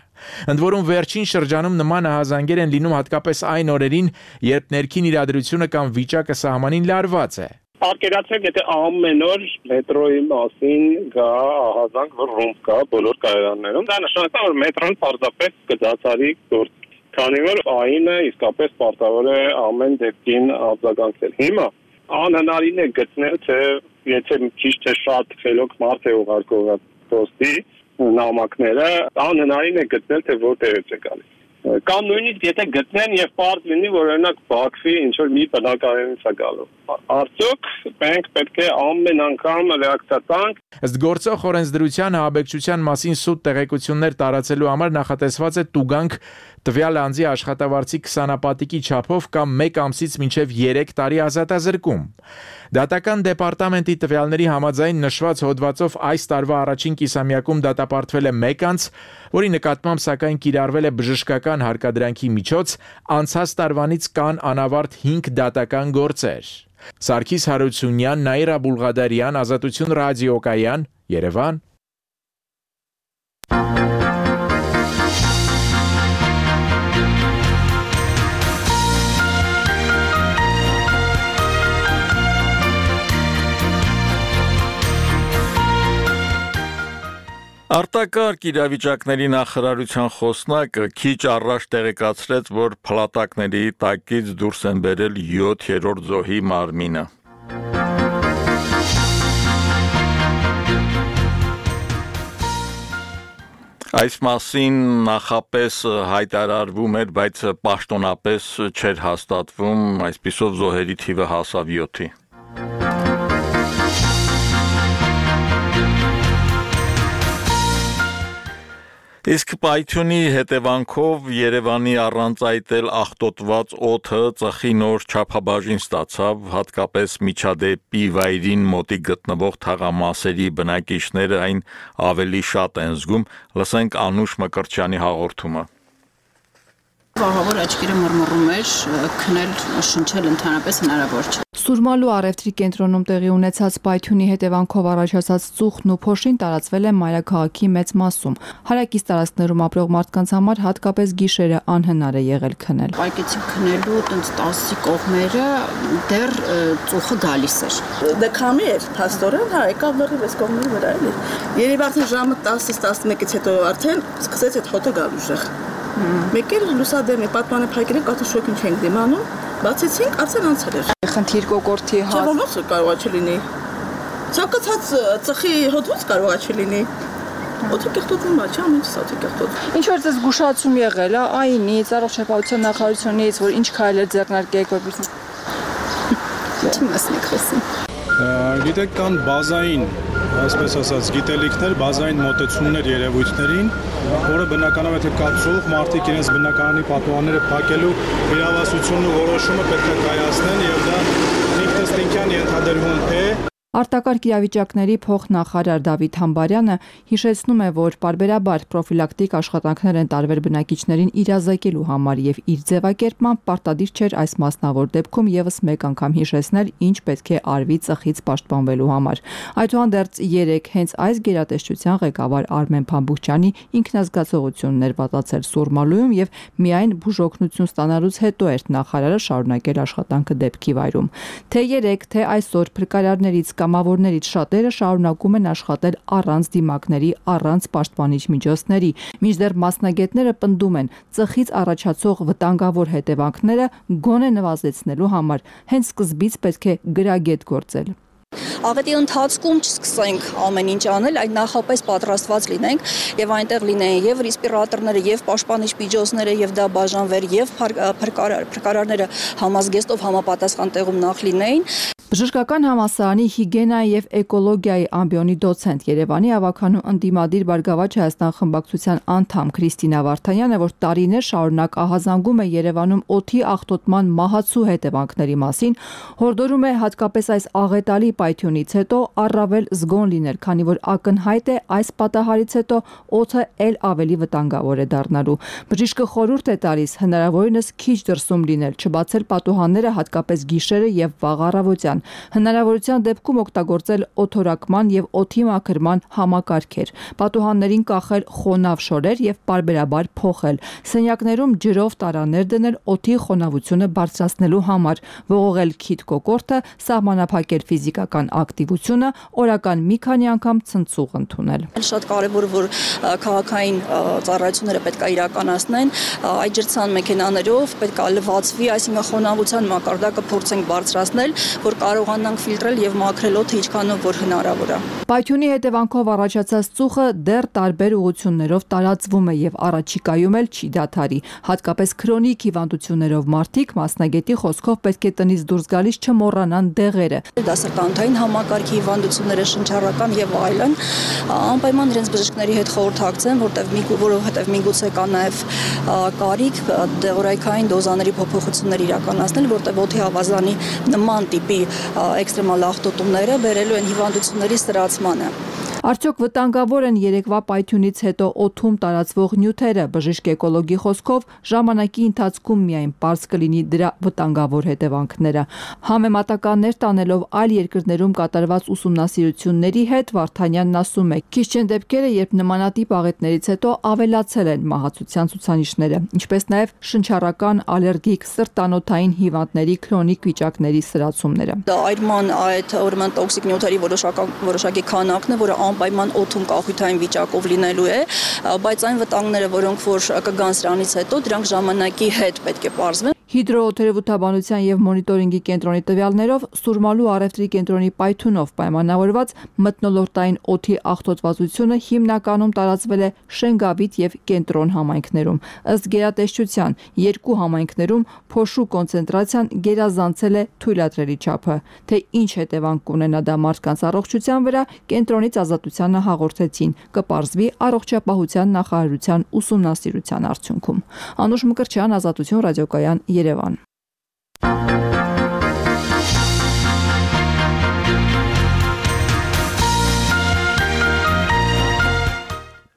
Ընդ որում վերջին շրջանում նման ահազանգեր են լինում հատկապես այն օրերին, երբ ներքին իրադրությունը կամ վիճակը սահմանին լարված է։ Արկերացեք, եթե ամեն օր մետրոյի մասին գա ահազանգ, որ ռումբ կա բոլոր կայարաններում, դա նշանակում է, որ մետրոն պարզապես կդադարի գործ, քանի որ ԱԻՆ-ը իսկապես պարտավոր է ամեն դեպքին արձագանքել։ Հիմա անհնարին է գտնել, թե եթե ճիշտ թե շատ խելոք մարդ է ուղարկող պոստի նամակները, անհնարին է գտնել, թե որտեղից է գալիս։ Կամ նույնիսկ եթե գտնեն եւ պարզ լինի, որ օրինակ Բաքվի ինչ որ մի բնակարանից է գալու։ Արդյոք մենք պետք է ամեն անգամ ռեակցիա տանք։ Ըստ գործող օրենսդրության ահաբեկչության մասին սուտ տեղեկություններ տարածելու համար նախատեսված է տուգանք տվյալ անձի աշխատավարձի քսանապատիկի չափով կամ մեկ ամսից մինչև երեք տարի ազատազրկում։ Դատական դեպարտամենտի տվյալների համաձայն նշված հոդվածով այս տարվա առաջին կիսամյակում դատապարտվել է մեկ անձ, որի նկատմամբ սակայն կիրառվել է բժշկական հարկադրանքի միջոց, անցած տարվանից կան անավարտ հինգ դատական գործեր։ Սարգիս Հարությունյան, Նաիրա Բուլղադարյան, Ազատություն ռադիոկայան, Երևան։ Արտակարգ իրավիճակների նախարարության խոսնակը քիչ առաջ տեղեկացրեց, որ փլատակների տակից դուրս են բերել յոթերորդ զոհի մարմինը։ Այս մասին նախապես հայտարարվում էր, բայց պաշտոնապես չէր հաստատվում, այսպիսով զոհերի թիվը հասավ յոթի։ Իսկ պայթյունի հետևանքով Երևանի առանց այտել աղտոտված օդը ծխի նոր չափաբաժին ստացավ, հատկապես միջադեպի վայրին մոտիկ գտնվող թաղամասերի բնակիչները այն ավելի շատ են զգում, լսենք Անուշ Մկրտչյանի հաղորդումը։ Վահավոր աչքերը մռմռում էր, քնել, շնչել ընդհանրապես հնարավոր չէ։ Սուրմալու առևտրի կենտրոնում տեղի ունեցած պայթյունի հետևանքով առաջացած ծուխն ու փոշին տարածվել է մայրաքաղաքի մեծ մասում։ Հարակից տարածքներում ապրող մարդկանց համար հատկապես գիշերը անհնար է եղել քնել։ Պայքեցի քնելու տենց տասի կողմերը դեռ ծուխը գալիս էր։ Դե քամի էր, փաստորեն, հա, եկավ լրիվ այս կողմերի վրա էլի։ Երևի արդեն ժամը տասից տասնմեկից հետո արդեն սկսեց այդ հոտը գալ ուժեղ։ Մեկ էլ լուսադեմ է պատմանը փակել ենք, արդեն շոկին չենք դիմանում, բացեցինք, արդեն անցել էր։ Խնդիր կոկորտի հա։ Ոնց կարող է չլինի։ Ցանկացած ծխի հոտուց կարող է չլինի։ Օդը կեղտոտվում է, չէ՞, ամեն ինչ սա կեղտոտվում։ Ինչ որ ձեզ զգուշացում եղել, այնից, առողջապահության նախարարությունից, որ ինչ քայլեր ձեռնարկեք, որպեսզի Ինչ մասն եք խոսում։ Գիտեք, կան բազային, այսպես ասած, գիտելիքներ, բազային մոտեցումներ երևույթներին, որը բնականաբար եթե կա ծուխ, մարդիկ իրենց բնակարանի պատուհանները փակելու իրավասությունն ու որոշումը պետք է կայացնեն եւ դա ինքնըստինքյան ենթադրվում է։ Արտակարգ իրավիճակների փոխնախարար Դավիթ Համբարյանը հիշեցնում է, որ պարբերաբար պրոֆիլակտիկ աշխատանքներ են տարվել բնակիչներին իրազեկելու համար եւ իր ձևակերպմամբ պարտադիր չէր այս մասնավոր դեպքում եւս մեկ անգամ հիշեցնել, ինչ պետք է արվի ծխից պաշտպանվելու համար։ Այդուհանդերձ երեք հենց այս գերատեսչության ղեկավար Արմեն Փամբուխչյանի ինքնազգացողությունն էր պատացել Սուրմալույում եւ միայն բուժօգնություն ստանալուց հետո էր նախարարը շարունակել աշխատանքը դեպքի վայրում։ Թե երեք, թե այսօր փրկարարներից կամավորներից շատերը շարունակում են աշխատել առանց դիմակների, առանց պաշտպանիչ միջոցների, մինչդեռ մասնագետները պնդում են ծխից առաջացող վտանգավոր հետևանքները գոնե նվազեցնելու համար հենց սկզբից պետք է գրագետ գործել։ Աղետի ընթացքում չսկսենք ամեն ինչ անել, այլ նախապես պատրաստված լինենք եւ այնտեղ լինեն եւ ռեսպիրատորները, եւ պաշտպանիչ միջոցները, եւ դա բաժանվեր, եւ փրկարարները համազգեստով համապատասխան տեղում նախ լինեին։ Բժշկական համալսարանի հիգիենայի եւ էկոլոգիայի ամբիոնի դոցենտ Երևանի ավականու ընդդիմադիր Բարգավաճ Հայաստան խմբակցության անդամ Քրիստինա Վարդանյանը, որ տարիներ շարունակ ահազանգում է Երևանում օդի աղտոտման մահացու հետևանքների մասին, հորդորում է հատկապես այս աղետալի պայթյունից հետո առավել զգոն լինել, քանի որ ակնհայտ է այս պատահարից հետո օդը ել ավելի վտանգավոր է դառնալու։ Բժիշկը խորհուրդ է տալիս հնարավորինս քիչ դրսում լինել, չբացել պատուհանները հատկապես գիշերը եւ վաղ առավոտյան։ Հնարավորության դեպքում օգտագործել օդորակման եւ օդի մաքրման համակարգեր, պատուհաններին կախել խոնավ շորեր եւ պարբերաբար փոխել, սենյակներում ջրով տարաներ դնել օդի խոնավությունը բարձրացնելու համար, ողողել քիթ կոկորտը, սահմանափակել ֆիզիկական ակտիվությունը, օրական մի քանի անգամ ցնցուղ ընդունել։ Շատ կարևոր որ քաղաքային ծառայությունները պետք է իրականացնեն, այդ ջրցան մեքենաներով պետք է լվացվի, այսինքն խոնավության մակարդակը փորձենք բարձրացնել, որ կարողանանք ֆիլտրել եւ մաքրել օդը ինչքանով որ հնարավոր է։ Պայթյունի հետևանքով առաջացած ծուխը դեռ տարբեր ուղղություններով տարածվում է եւ առաջիկայում էլ չի դադարի, հատկապես քրոնիկ հիվանդություններով մարդիկ մասնագետի խոսքով պետք է տնից դուրս գալիս չմոռանան դեղերը։ Դա սրտանոթային համակարգի հիվանդությունները, շնչառական եւ այլն, անպայման իրենց բժիշկների հետ խորհրդակցեն, որտեղ որովհետեւ միգուցե կա նաեւ կարիք դեղորայքային դոզաների փոփոխություններ իրականացնել, որտեղ օդի ավազանի նման տիպի էքստրեմալ աղտոտումները բերելու են հիվանդությունների սրացմանը։ Արդյոք վտանգավոր են երեկվա պայթյունից հետո օդում տարածվող նյութերը, բժիշկ էկոլոգի խոսքով ժամանակի ընթացքում միայն պարզ կլինի դրա վտանգավոր հետևանքները։ Համեմատականներ տանելով այլ երկրներում կատարված ուսումնասիրությունների հետ Վարդանյանն ասում է, քիչ չեն դեպքերը, երբ նմանատիպ աղետներից հետո ավելացել են մահացության ցուցանիշները, ինչպես նաև շնչառական, ալերգիկ, սրտանոթային հիվանդների քրոնիկ վիճակների սրացումները։ Դա այրման այդ ուրեմն տոքսիկ նյութերի որոշակի քանակն է, որը անպայման օդում կախույթային վիճակով լինելու է, բայց այն վտանգները, որոնք որ կգան սրանից հետո, դրանք ժամանակի հետ պետք է պարզվեն։ Հիդրոօթերևութաբանության եւ մոնիտորինգի կենտրոնի տվյալներով Սուրմալու առևտրի կենտրոնի պայթյունով պայմանավորված մթնոլորտային օդի աղտոտվածությունը հիմնականում տարածվել է Շենգավիթ եւ Կենտրոն համայնքներում։ Ըստ գերատեսչության, երկու համայնքներում փոշու կոնցենտրացիան գերազանցել է թույլատրելի չափը։ Թե ինչ հետևանք կունենա դա մարդկանց առողջության վրա, կենտրոնից Ազատությանը հաղորդեցին, կպարզվի առողջապահության նախարարության ուսումնասիրության արդյունքում։ Անուշ Մկրտչյան, Ազատություն, ռադիոկայան, Երևան։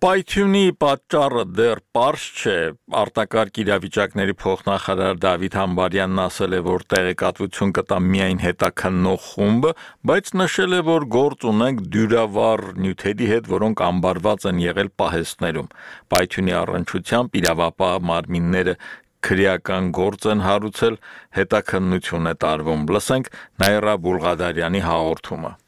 Պայթյունի պատճառը դեռ պարզ չէ, արտակարգ իրավիճակների փոխնախարար Դավիթ Համբարյանն ասել է, որ տեղեկատվություն կտա միայն հետաքննող խումբը, բայց նշել է, որ գործ ունենք դյուրավառ նյութերի հետ, որոնք ամբարված են եղել պահեստներում։ Պայթյունի առնչությամբ իրավապահ մարմինները քրեական գործ են հարուցել, հետաքննություն է տարվում։ Լսենք Նաիրա Բուլղադարյանի հաղորդումը։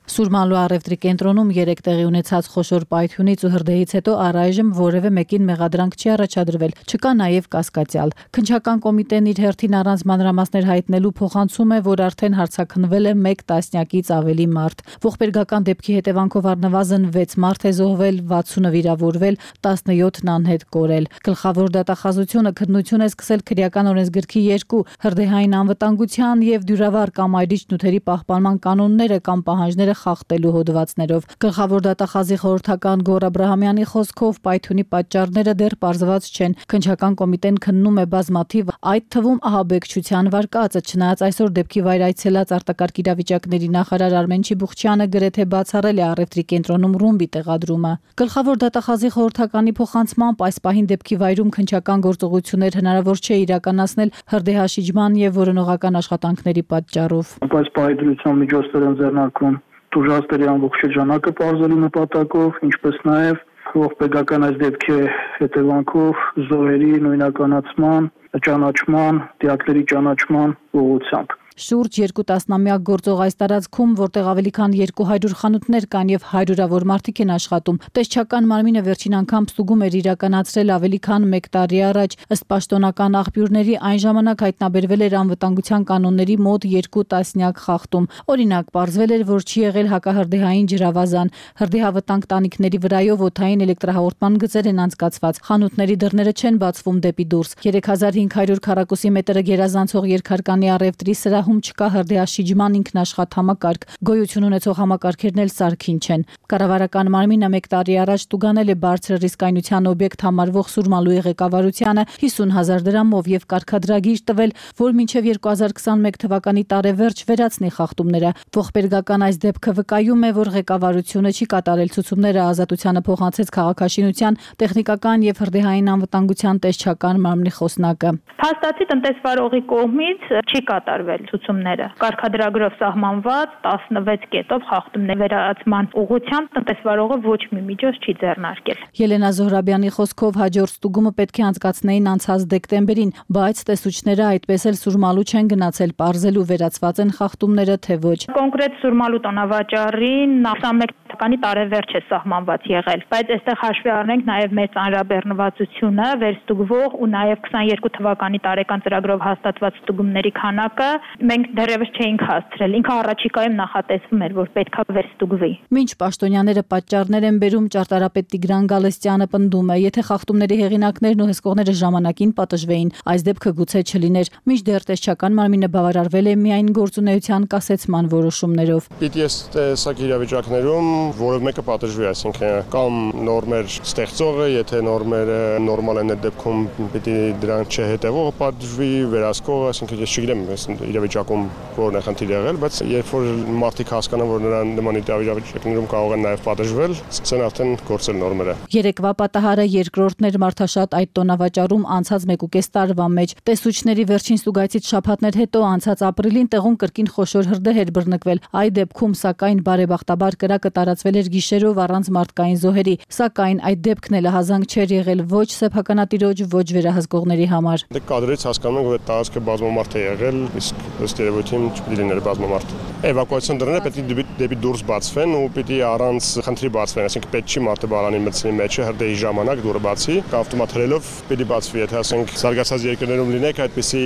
Սուրմալու առևտրի կենտրոնում երեք տեղի ունեցած խոշոր պայթյունից ու հրդեհից հետո առայժմ որևէ մեկին մեղադրանք չի առաջադրվել, չկա նաև կասկածյալ։ Քննչական կոմիտեն իր հերթին առանց մանրամասներ հայտնելու փոխանցում է, որ արդեն հարցաքննվել է մեկ տասնյակից ավելի մարդ։ Ողբերգական դեպքի հետևանքով առնվազն վեց մարդ է զոհվել, վաթսունը վիրավորվել, տասնյոթն անհետ կորել։ Գլխավոր դատախազությունը քննություն է սկսել քրեական օրենսգրքի երկու հրդեհային անվտանգության եւ դյուրավառ կամ այրիչ նյութերի պահպանման կանոնները կամ պահանջները խախտելու հոդվածներով։ Գլխավոր դատախազի խորհրդական Գոռ Աբրահամյանի խոսքով պայթյունի պատճառները դեռ պարզված չեն։ Քննչական կոմիտեն քննում է բազմաթիվ, այդ թվում ահաբեկչության վարկածը, չնայած այսօր դեպքի վայր այցելած արտակարգ իրավիճակների նախարար Արմեն Չիբուխչյանը գրեթե բացառել է առևտրի կենտրոնում ռումբի տեղադրումը։ Գլխավոր դատախազի խորհրդականի փոխանցմամբ այս պահին դեպքի վայրում քննչական գործողություններ հնարավոր չէ իրականացնել հրդեհաշիջման եւ որոնողական աշխատանքների պատճառով։ Բայց պահեդրության միջոցներ են ձեռնարկվում տուժածների ամբողջ շրջանակը պարզելու նպատակով, ինչպես նաև ողբերգական այս դեպքի հետևանքով զոհերի նույնականացման, ճանաչման, դիակների ճանաչման ուղղությամբ։ Շուրջ երկու տասնամյակ գործող այս տարածքում, որտեղ ավելի քան երկու հարյուր խանութներ կան եւ հարյուրավոր մարդիկ են աշխատում, տեսչական մարմինը վերջին անգամ ստուգում էր իրականացրել ավելի քան մեկ տարի առաջ։ Ըստ պաշտոնական աղբյուրների, այն ժամանակ հայտնաբերվել էր անվտանգության կանոնների մոտ երկու տասնյակ խախտում։ Օրինակ, պարզվել էր, որ չի եղել հակահրդեհային ջրավազան, հրդեհավտանգ տանիքների վրայով օդային էլեկտրահաղորդման գծեր են անցկացված, խանութների դռները չեն բացվում դեպի դուրս։ երեք հազար հինգ հարյուր քառակուսի մետրը գերազանցող երկհարկանի առևտրի սրա հում չկա հրդեհաշիջման ինքնաշխատ համակարգ, գոյություն ունեցող համակարգերն էլ սարքին չեն։ Կառավարական մարմինը մեկ տարի առաջ տուգանել է բարձր ռիսկայնության օբյեկտ համարվող Սուրմալուի ղեկավարությանը հիսուն հազար դրամով եւ կարգադրագիր տվել, որ մինչեւ երկու հազար քսանմեկ թվականի տարեվերջ վերացնի խախտումները։ Ողբերգական այս դեպքը վկայում է, որ ղեկավարությունը չի կատարել ցուցումները, Ազատությանը փոխանցեց քաղաքաշինության, տեխնիկական եւ հրդեհային անվտանգության տեսչական մարմնի խոսնակը։ Փաստացի տնտեսվարողի կողմից չի կատարվել ցուցումները։ Կարգադրագրով սահմանված տասնվեց կետով խախտումների վերացման ուղղությամբ տնտեսվարողը ոչ մի միջոց չի ձեռնարկել։ Ելենա Զոհրաբյանի խոսքով հաջորդ ստուգումը պետք է անցկացնեին անցած դեկտեմբերին, բայց տեսուչները այդպես էլ Սուրմալու չեն գնացել պարզելու վերացված են խախտումները թե ոչ։ Կոնկրետ Սուրմալու տոնավաճառին քսանմեկ թվականի տարեվերջ է սահմանված եղել, բայց այստեղ հաշվի առնենք նաև մեր ծանրաբեռնվածությունը, վերստուգվող ու նաև քսաներկու թվականի տարեկան ծրագրով հաստատված ստուգումների քանակը մենք դեռևս չէինք հասցրել։ Ինքը առաջիկայում նախատեսվում էր, որ պետքա վերստուգվի։ Մինչ պաշտոնյաները պատճառներ են բերում, ճարտարապետ Տիգրան Գալստյանը պնդում է, եթե խախտումների հեղինակներն ու հսկողները ժամանակին պատժվեին, այս դեպքը գուցե չլիներ։ Մինչդեռ տեսչական մարմինը բավարարվել է միայն գործունեության կասեցման որոշումներով։ Պիտի այս տեսակ իրավիճակներում որևէ մեկը պատժվի, այսինքն կամ նորմեր ստեղծողը, եթե նորմերը նորմալ են այդ դեպքում, պիտի դրան չհետևողը պատժվի, վերահսկողը, այսինքն ես չգիտեմ այս իրավիճակում որն է խնդիր եղել, բայց երբ որ մարդիկ հասկանան, որ նրան նման իրավիճակներում կարող են նաև պատժվել, սկսեն արդեն գործել նորմերը։ Երեկվա պատահարը երկրորդն էր մարդաշատ այդ տոնավաճառում անցած մեկուկես տարվա մեջ։ Տեսուչների վերջին ստուգայցից շաբաթներ հետո անցած ապրիլին տեղում կրկին խոշոր հրդեհ էր բռնկվել։ Այդ դեպքում սակայն բարեբախտաբար կրակը տարածվել էր գիշերով առանց մարդկային զոհերի, սակայն այդ դեպքն էլ ահազանգ չէր եղել ոչ սեփականատիրոջ, ոչ վերահսկողների համար։ Դե կադրից հասկանում ենք, որ տարածքը բազմամարդ է եղել, իսկ ըստ երևույթին չպետք է լիներ բազմամարդ։ Էվակուացիոն դռները պետք է դեպի դուրս բացվեն ու պետք է առանց խնդրի բացվեն, այսինքն պետք չի մարդը բալանի մտցնի մեջը հրդեհի ժամանակ դուռը բացի, ավտոմատ հրելով պետք է բացվի, եթե ասենք զարգացած երկրներում լինեք, այդպիսի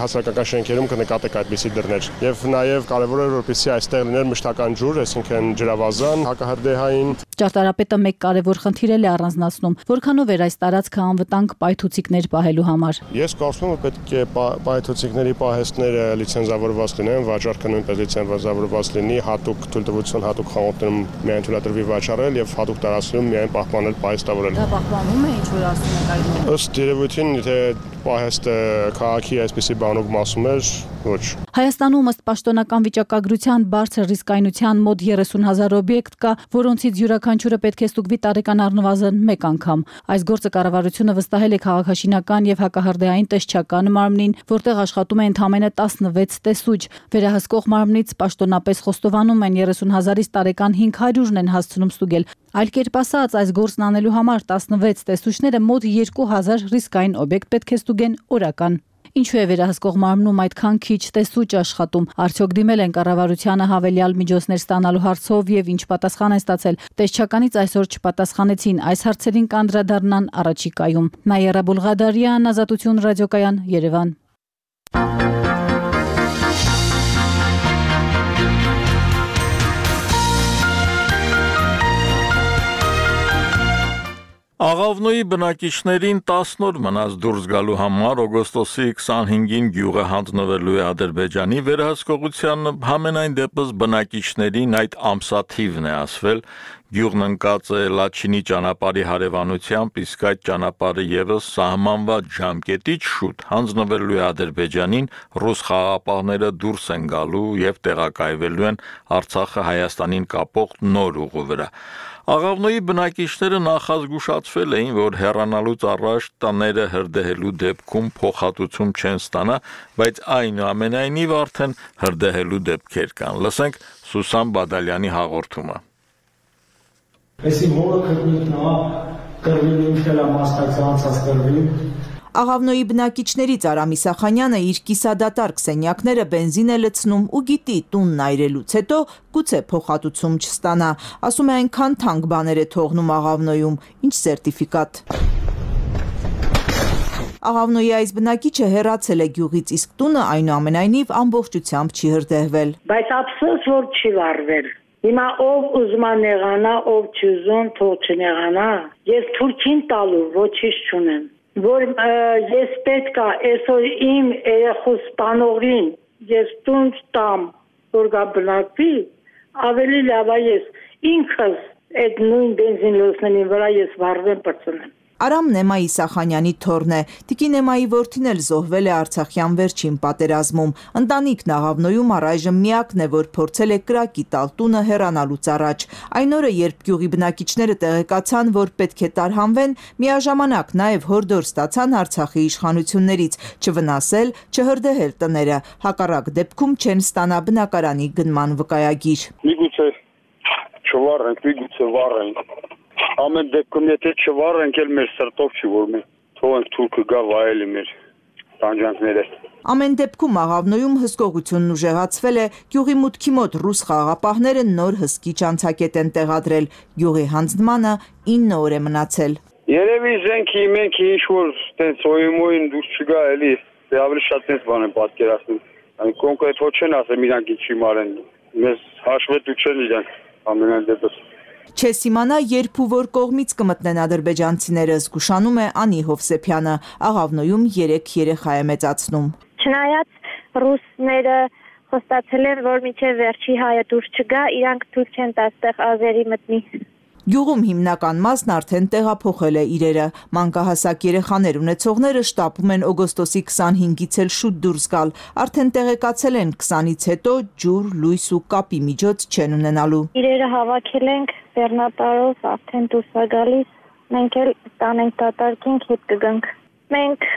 հասարակական շենքերում կնկատեք այդպիսի դռներ։ Եվ նաև կարևոր է որպեսզի այստեղ լիներ մշտական ջուր, այսինքն ջրավազան, հակահրդեհային։ Ճարտարապետը մեկ կարևոր խնդիր էլ է առանձնացնում, որքանով էր այս տարածքը անվտանգ պայթուցիկներ պահելու համար։ Ես կարծում եմ, պետք է պայթուցիկների պահեստները լիցենզավորված լինեն, վաճառքը նույնպես լիցենզավորված լինի, հատուկ թույլտվություն, հատուկ խանութներում միայն թույլատրվի վաճառել եւ հատուկ տարածքներում միայն պահպանել, պահեստավորել։ Դա պահպանվում է, ինչ որ ասում եք այդ։ Ըստ երևույթին, եթե պահեստը քաղաքի այսպիսի բանոկ մասում էր, ոչ։ Հայաստանում ըստ պաշտոնական վիճակագրության բարձր ռիսկայնության մոտ երեսուն հազար օբյեկտ կա, որոնցից յուրաքանչյուրը պետք է ստուգվի տարեկան առնվազն մեկ անգամ։ Այս գործը կառավարությունը վստահել է քաղաքաշինական եւ հակահրդեհային տեսչական մարմնին, որտեղ աշխատում է ընդամենը տասնվեց տեսուչ։ Վերահսկող մարմնից պաշտոնապես խոստովանում են երեսուն հազարից տարեկան հինգ հարյուրն են հասցնում ստուգել։ Այլ կերպ ասած, այս գործն անելու համար տասնվեց տեսուչները մոտ երկու հազար ռիսկային օբյեկտ պետք է ստուգեն օրական։ Ինչու է վերահսկող մարմնում այդքան քիչ տեսուչ աշխատում։ Արդյոք դիմել են կառավարությանը հավելյալ միջոցներ ստանալու հարցով եւ ինչ պատասխան են ստացել։ Տեսչականից այսօր չպատասխանեցին, այս հարցերին կանդրադառնան առաջիկայում։ Նաիրա Բուլղադարյան, Ազատություն ռադիոկայան, Երևան։ Աղավնոյի բնակիչներին տասն օր մնաց դուրս գալու համար օգոստոսի քսանհինգին գյուղը հանձնվելու է Ադրբեջանի վերահսկողության, համենայն դեպս բնակիչներին այդ ամսաթիվն է ասվել։ Գյուղն ընկած է Լաչինի ճանապարհի հարևանությամբ, իսկ այդ ճանապարհը եւս սահմանված ժամկետից շուտ հանձնվելու է Ադրբեջանին, ռուս խաղաղապահները դուրս են գալու եւ տեղակայվելու են Արցախը Հայաստանին կապող նոր ուղու վրա։ Աղավնոյի բնակիչները նախազգուշացվել էին, որ հեռանալուց առաջ տները հրդեհելու դեպքում փոխհատուցում չեն ստանա, բայց այնուամենայնիվ արդեն հրդեհելու դեպքեր կան։ Լսենք Սուսան Բադալյանի հաղորդումը։ Այսի որը քրտնիքնա կրվին ինքելա մաստակցանցած կրվին Աղավնոյի բնակիչներից Արամ Իսախանյանը իր կիսադատարկ սենյակները բենզին է լցնում ու գիտի տունն այրելուց հետո գուցե փոխհատուցում չստանա, ասում է այնքան թանկ բաներ է թողնում Աղավնոյում, ինչ սերտիֆիկատ։ Աղավնոյի այս բնակիչը հեռացել է գյուղից, իսկ տունը այնուամենայնիվ ամբողջությամբ չի հրդեհվել։ Բայց ափսոս որ չի վարվել։ Հիմա ով ուզում է նեղանա, ով չուզում, թող չնեղանա։ Ես թուրքին տալու ոչինչ չունեմ։ Որ ես պետք է այսօր իմ երեխու սպանողին ես տուն տամ, որ գա բնակվի, ավելի լավ է ես ինքս այդ նույն բենզին լուսնի վրա ես վառվեմ պրծնեմ։ Արամն Էմա Իսախանյանի թոռն է, Տիկին Էմայի որդին էլ զոհվել է Արցախյան վերջին պատերազմում։ Ընտանիքն Աղավնոյում առայժմ միակն է, որ փորձել է կրակի տալ տունը հեռանալուց առաջ։ Այն օրը, երբ գյուղի բնակիչները տեղեկացան, որ պետք է տարհանվեն, միաժամանակ նաև հորդոր ստացան Արցախի իշխանություններից չվնասել, չհրդեհել տները, հակառակ դեպքում չեն ստանա բնակարանի գնման վկայագիր։ Միգուցե չվառենք, միգուցե վառենք։ Ամեն դեպքում եթե չվառենք, էլ մեր սրտով չի որ մենք թողենք թուրքը գա վայելի մեր տանջանքները։ Ամեն դեպքում Աղավնոյում հսկողությունն ուժեղացվել է, գյուղի մուտքի մոտ ռուս խաղաղապահները նոր հսկիչ անցակետ են տեղադրել, գյուղի հանձնմանը ինը օր է մնացել։ Երևի զենքի մենք ինչ որ տենց օյմոյին դուրս չգա էլի, դե ավելի շատ տենց բան են պատկերացնում։ Այն կոնկրետ ոչ չեն ասել իրանք ինչի մարեն։ Մեզ հաշվետու չեն իրանք ամենայն դեպս։ Չես իմանա, երբ ու որ կողմից կմտնեն ադրբեջանցիները, զգուշանում է Անի Հովսեփյանը, Աղավնոյում երեք երեխա է մեծացնում։ Չնայած ռուսները խոստացել են, որ մինչև վերջի հայը դուրս չգա, իրանք թույլ չեն տա այստեղ ազերի մտնի։ Գյուղում հիմնական մասն արդեն տեղափոխել է իրերը։ Մանկահասակ երեխաներ ունեցողները շտապում են օգոստոսի քսանհինգից էլ շուտ դուրս գալ։ Արդեն տեղեկացել են քսանից հետո ջուր, լույս ու կապի միջոց չեն ունենալու։ Իրերը հավաքել ենք բեռնատարով, արդեն դուրս է գալիս։ Մենք էլ տանենք դատարկենք, հետ կգանք։ Մենք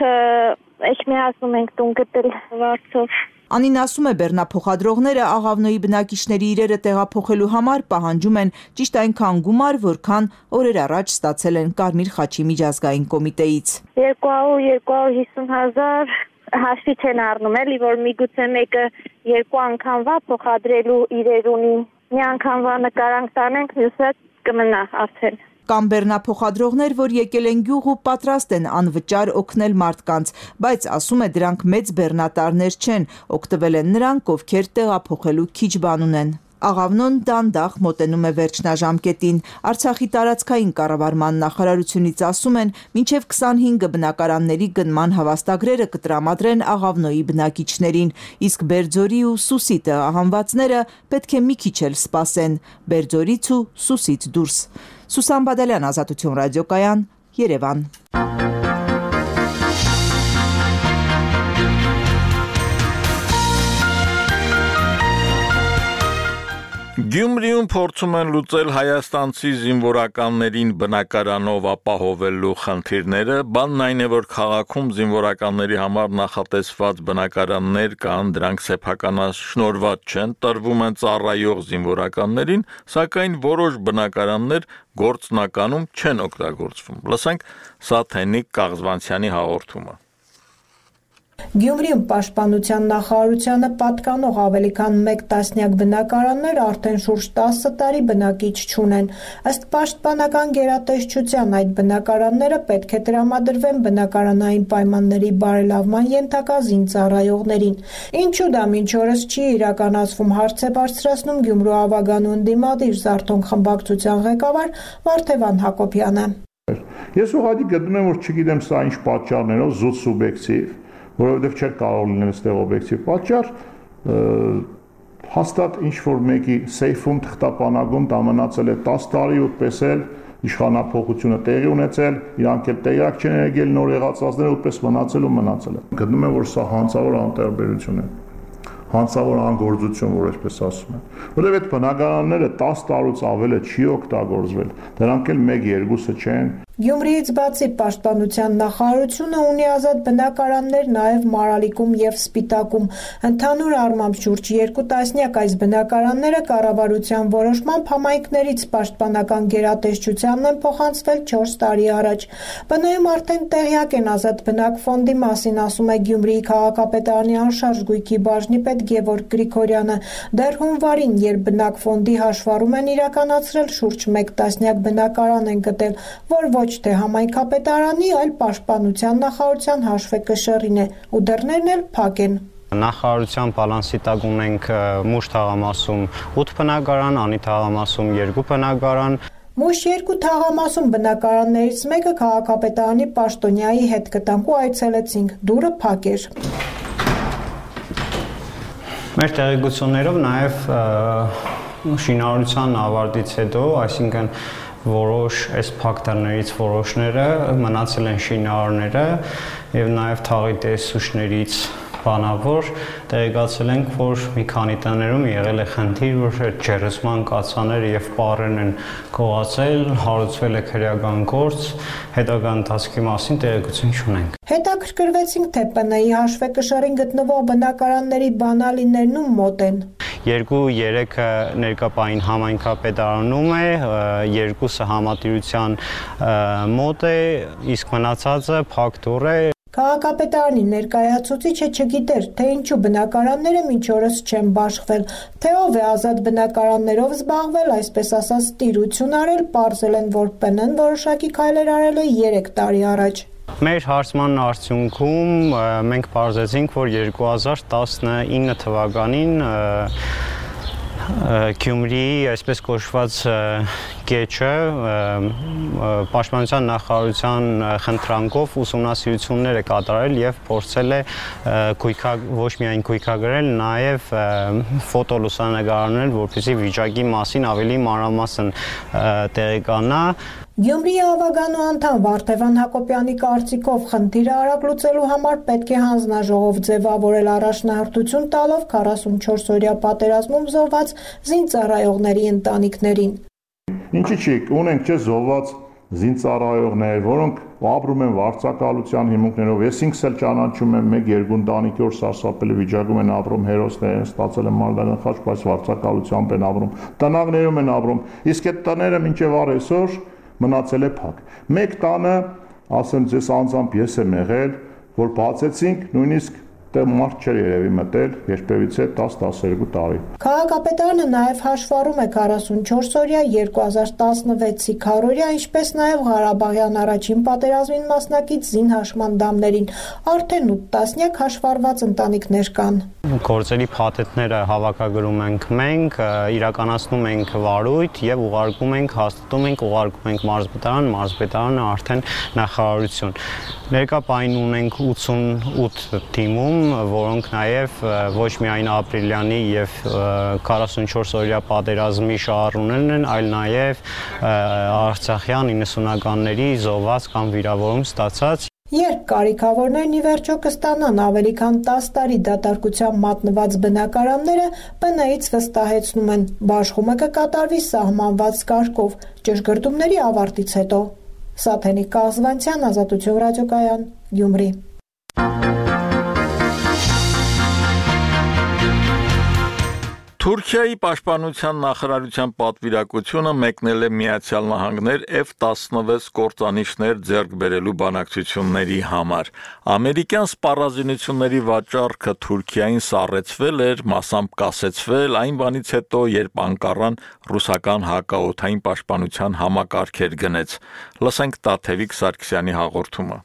էջմիածնում ենք տուն գտել վարձով։ Անին ասում է, բեռնափոխադրողները Աղավնոյի բնակիչների իրերը տեղափոխելու համար պահանջում են ճիշտ այնքան գումար, որքան օրեր առաջ ստացել են Կարմիր խաչի միջազգային կոմիտեից։ երկու հարյուր երկու հարյուր հիսուն հազար հաշվի չեն առնում, էլի որ միգուցե մեկը երկու անգամվա փոխադրելու իրեր ունի, մի անգամվա նկարանք տանենք, մյուսը կմնա արդեն։ Կամ բեռնափոխադրողներ, որ եկել են գյուղ ու պատրաստ են անվճար օգնել մարդկանց, բայց ասում է դրանք մեծ բեռնատարներ չեն, օգտվել են նրանք, ովքեր տեղափոխելու քիչ բան ունեն։ Աղավնոն դանդաղ մոտենում է վերջնաժամկետին։ Արցախի տարածքային կառավարման նախարարությունից ասում են, մինչև քսանհինգ բնակարանների գնման հավաստագրերը կտրամադրեն Աղավնոյի բնակիչներին, իսկ Բերձորի ու Սուսի տեղահանվածները պետք է մի քիչ էլ սպասեն, Բերձորից ու Սուսից դուրս։ Սուսան Բադալյան, Ազատություն ռադիոկայան, Երևան։ Գյումրիում փորձում են լուծել հայաստանցի զինվորականներին բնակարանով ապահովելու խնդիրները, բանն այն է, որ քաղաքում զինվորականների համար նախատեսված բնակարաններ կան, դրանք սեփականաշնորհված չեն, տրվում են ծառայող զինվորականներին, սակայն որոշ բնակարաններ գործնականում չեն օգտագործվում։ Լսենք Սաթենիկ Կաղզվանցյանի հաղորդումը։ Գյումրիում պաշտպանության նախարարությանը պատկանող ավելի քան մեկ տասնյակ բնակարաններ արդեն շուրջ տասը տարի բնակիչ չունեն։ Ըստ պաշտպանական գերատեսչության այդ բնակարանները պետք է տրամադրվեն բնակարանային պայմանների բարելավման ենթակա զինծառայողներին։ Ինչու դա մինչ օրս չի իրականացվում, հարց է բարձրացնում Գյումրու Ավագանու ընդդիմադիր Զարթոնք խմբակցության ղեկավար Վարդևան Հակոբյանը։ Ես ուղղակի գտնում եմ, որ չգիտեմ սա ինչ պատճառներով զուտ սուբյեկտիվ, որովհետև չէր կարող լինել այստեղ օբյեկտիվ պատճառ, հաստատ ինչ-որ մեկի սեյֆում թղթապանակում դա մնացել է տասը տարի ու պես էլ իշխանափոխությունը տեղի ունեցել, իրանք էլ տեղյակ չեն եղել նոր եղածածները ուտպես մնացել ու մնացել է։ Գտնում եմ, որ սա հանցավոր անտարբերություն է, հանցավոր անգործություն, որ այսպես ասում են, որովհետև այդ բնակարանները տասը տարուց ավել է չի օգտագործվել, դրանք էլ մեկ-երկուսը չեն։ Գյումրիից բացի պաշտպանության նախարարությունը ունի ազատ բնակարաններ նաև Մարալիկում և Սպիտակում։ Ընդհանուր առմամբ շուրջ երկու տասնյակ այս բնակարանները կառավարության որոշմամբ համայնքներից պաշտպանական գերատեսչությանն են փոխանցվել չորս տարի առաջ։ Բնայում արդեն տեղյակ են ազատ բնակ ֆոնդի մասին, ասում է Գյումրիի քաղաքապետարանի անշարժ գույքի բաժնի պետ Գևորգ Գրիգորյանը։ Դեռ հունվարին, երբ բնակ ֆոնդի հաշվառում են իրականացրել, շուրջ մեկ տասնյակ բնակարան են գտել, որ ոչ թե համայնքապետարանի, այլ պաշտպանության նախարարության հաշվեկշռին է, ու դռներն էլ փակ են։ Նախարարության բալանսի տակ ունենք Մուշ թաղամասում ութ բնակարան, Անի թաղամասում երկու բնակարան։ Մուշ երկու թաղամասում բնակարաններից մեկը քաղաքապետարանի պաշտոնյայի հետ գտանք ու այցելեցինք, դուռը փակ էր։ Մեր տեղեկություններով նաև շինարարության ավարտից հետո, այսինքն որոշ այս փակտարներից որոշները մնացել են շինարարները եւ նաեւ թաղի տեսուչներից բանավոր տեղեկացել ենք, որ մի քանի տներում եղել է խնդիր, որ ջերմման կացաները եւ պարերն են գողացել, հարուցվել է քրեական գործ, հետագա ընթացքի մասին տեղեկություն չունենք։ Հետաքրքրվեցինք, թե ՊՆ-ի հաշվեկշռին գտնվող բնակարանների բանալիներն ու մոտ են։ Երկու-երեքը ներկապային համայնքապետարանում է, երկուսը համատիրության մոտ է, իսկ մնացածը փակ դուռ է։ Քաղաքապետարանի ներկայացուցիչը չգիտեր, թե ինչու բնակարանները մինչ օրս չեն բաշխվել, թե ով է ազատ բնակարաններով զբաղվել, այսպես ասած տիրություն արել, պարզել են, որ ՊՆ-ն որոշակի քայլեր արել է երեք տարի առաջ։ Մեր հարցման արդյունքում մենք պարզեցինք, որ երկու հազար տասնինը թվականին Գյումրիի այսպես կոչված կեչը պաշտպանության նախարարության խնդրանքով ուսումնասիրություններ է կատարել եւ փորձել է ոչ միայն գույքագրել, նաեւ ֆոտոլուսանկարներ, որպեսզի վիճակի մասին ավելի մանրամասն տեղեկանա։ Գյումրիի Ավագանու անդամ Վարդևան Հակոբյանի կարծիքով խնդիրը արագ լուծելու համար պետք է հանձնաժողով ձևավորել առաջնահերթություն տալով քառասունչորս օրյա պատերազմում զոհված զինծառայողների ընտանիքներին։ Ինչի՞ չի, ունենք չէ զոհված զինծառայողներ, որոնք ապրում են վարձակալության հիմունքներով, ես ինքս էլ ճանաչում եմ մեկ-երկու ընտանիքի, որ սարսափելի վիճակում են ապրում, հերոսներ են ստացել են մարտական խաչ, բայց վարձակալությամբ են ապրում, տնակներում են ապրում, իսկ այդ տները մինչև առեսօր մնացել է փակ։ Մեկ տանը, ասեմ ձեզ անձամբ ես եմ եղել, որ բացեցինք, նույնիսկ Դե մարդ չէր երևի մտել, երբևիցե տասը տասներկու տարի։ Քաղաքապետարանը նաև հաշվառում է քառասունչորս օրյա երկու հազար տասնվեցի քառօրյա, ինչպես նաև Ղարաբաղյան առաջին պատերազմին մասնակից զինհաշման դամներին։ Արդեն ութ տասնյակ հաշվառված ընտանիքներ կան։ Գործերի փաթեթները հավաքագրում ենք մենք, իրականացնում ենք վարույթ եւ ուղարկում ենք, հաստատում ենք, ուղարկում ենք մարզպետարան, մարզպետարանը արդեն նախարարություն։ Ներկա պահին ունենք ութսունութ թիմում, որոնք նաև ոչ միայն ապրիլյանի եւ քառասունչորս օրյա պատերազմի շահառուներն են, այլ նաև արցախյան իննսունականների զոհված կամ վիրավորում ստացած։ Երբ կարիքավորներն ի վերջո կստանան ավելի քան տասը տարի դատարկության մատնված բնակարանները, Բ Ն-ից վստահեցնում են, բաշխումը կկատարվի սահմանված կարգով, ճշգրտումների ավարտից հետո։ Սաթենիկ Կազվանցյան, Ազատություն ռադիոկայան, Գյումրի։ Թուրքիայի պաշտպանության նախարարության պատվիրակությունը մեկնել է Միացյալ Նահանգներ F տասնվեց կործանիչներ ձեռք բերելու բանակցությունների համար։ Ամերիկյան սպառազինությունների վաճառքը Թուրքիային սառեցվել էր, մասամբ կասեցվել այն բանից հետո, երբ Անկարան ռուսական հակաօդային պաշտպանության համակարգեր գնեց։ Լսենք Տաթևիկ Սարգսյանի հաղորդումը։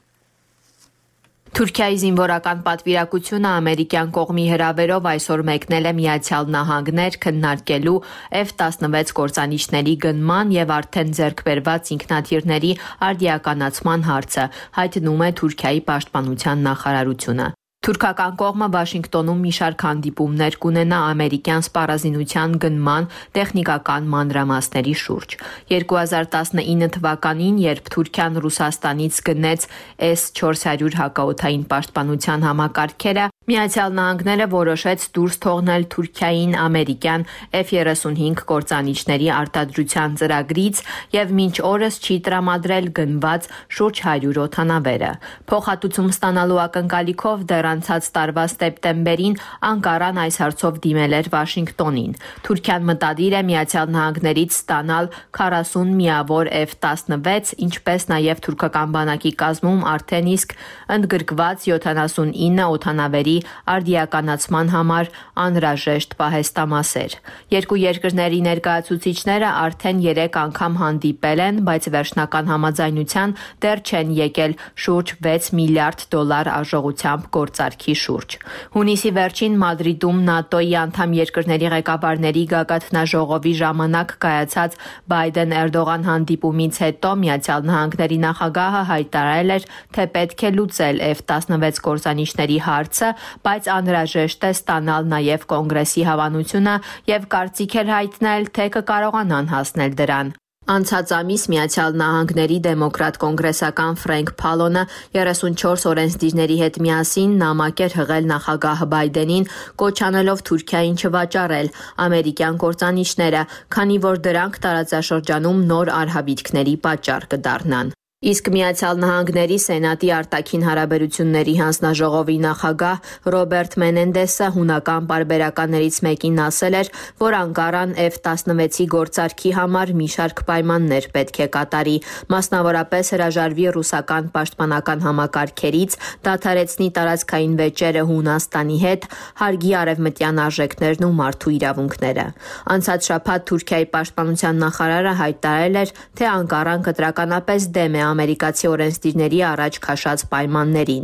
Թուրքիայի զինվորական պատվիրակությունը ամերիկյան կողմի հրավերով այսօր մեկնել է Միացյալ Նահանգներ քննարկելու F տասնվեց կործանիչների գնման եւ արդեն ձեռք բերված ինքնաթիռների արդիականացման հարցը, հայտնում է Թուրքիայի պաշտպանության նախարարությունը։ Թուրքական կողմը Վաշինգտոնում մի շարք հանդիպումներ կունենա ամերիկյան սպառազինության գնման տեխնիկական մանրամասների շուրջ։ երկու հազար տասնինը թվականին, երբ Թուրքիան Ռուսաստանից գնեց S չորս հարյուր հակաօդային պաշտպանության համակարգերը, Միացյալ Նահանգները որոշեց դուրս թողնել Թուրքիային ամերիկյան F երեսունհինգ կործանիչների արտադրության ծրագրից եւ մինչ օրս չի տրամադրել գնված շուրջ հարյուր օդանավերը։ Փոխհատուցում ստանալու ակնկալիքով դեռ անցած տարվա սեպտեմբերին Անկարան այս հարցով դիմել էր Վաշինգտոնին։ Թուրքիան մտադիր է Միացյալ Նահանգներից ստանալ քառասուն միավոր F տասնվեց, ինչպես նաեւ թուրքական բանակի կազմում արդեն իսկ ընդգրկված յոթանասունինը օդանավերի արդիականացման համար անհրաժեշտ պահեստամասեր։ Երկու երկրների ներկայացուցիչները արդեն երեք անգամ հանդիպել են, բայց վերջնական համաձայնության դեռ չեն եկել շուրջ վեց միլիարդ դոլար արժողությամբ գործարքի շուրջ։ Հունիսի վերջին Մադրիդում ՆԱՏՕ-ի անդամ երկրների ղեկավարների գագաթնաժողովի ժամանակ կայացած Բայդեն-Էրդողան հանդիպումից հետո Միացյալ Նահանգների նախագահը հայտարարել էր, թե պետք է լուծել F տասնվեց կործանիչների հարցը, բայց անհրաժեշտ է ստանալ նաև կոնգրեսի հավանությունը եւ կարծիք էր հայտնել, թե կկարողանան հասնել դրան։ Անցած ամիս Միացյալ Նահանգների դեմոկրատ կոնգրեսական Ֆրենկ Փալոնը երեսունչորս օրենսդիրների հետ միասին նամակ էր հղել նախագահ Բայդենին, կոչանելով Թուրքիային չվաճառել ամերիկյան կործանիչները, քանի որ դրանք տարածաշրջանում նոր արհավիրքների պատճառ կդառնան։ Իսկ Միացյալ Նահանգների Սենատի արտաքին հարաբերությունների հանձնաժողովի նախագահ Ռոբերտ Մենենդեսը հունական պարբերականներից մեկին ասել էր, որ Անկարան F տասնվեցի գործարքի համար մի շարք պայմաններ պետք է կատարի, մասնավորապես հրաժարվի ռուսական պաշտպանական համակարգերից, դադարեցնի տարածքային վեճերը Հունաստանի հետ, հարգի արևմտյան արժեքներն ու մարդու իրավունքները։ Անցած շաբաթ Թուրքիայի պաշտպանության նախարարը հայտարարել էր, թե Անկարան կտրականապես դեմ է ամերիկացի օրենսդիրների առաջ քաշած պայմաններին։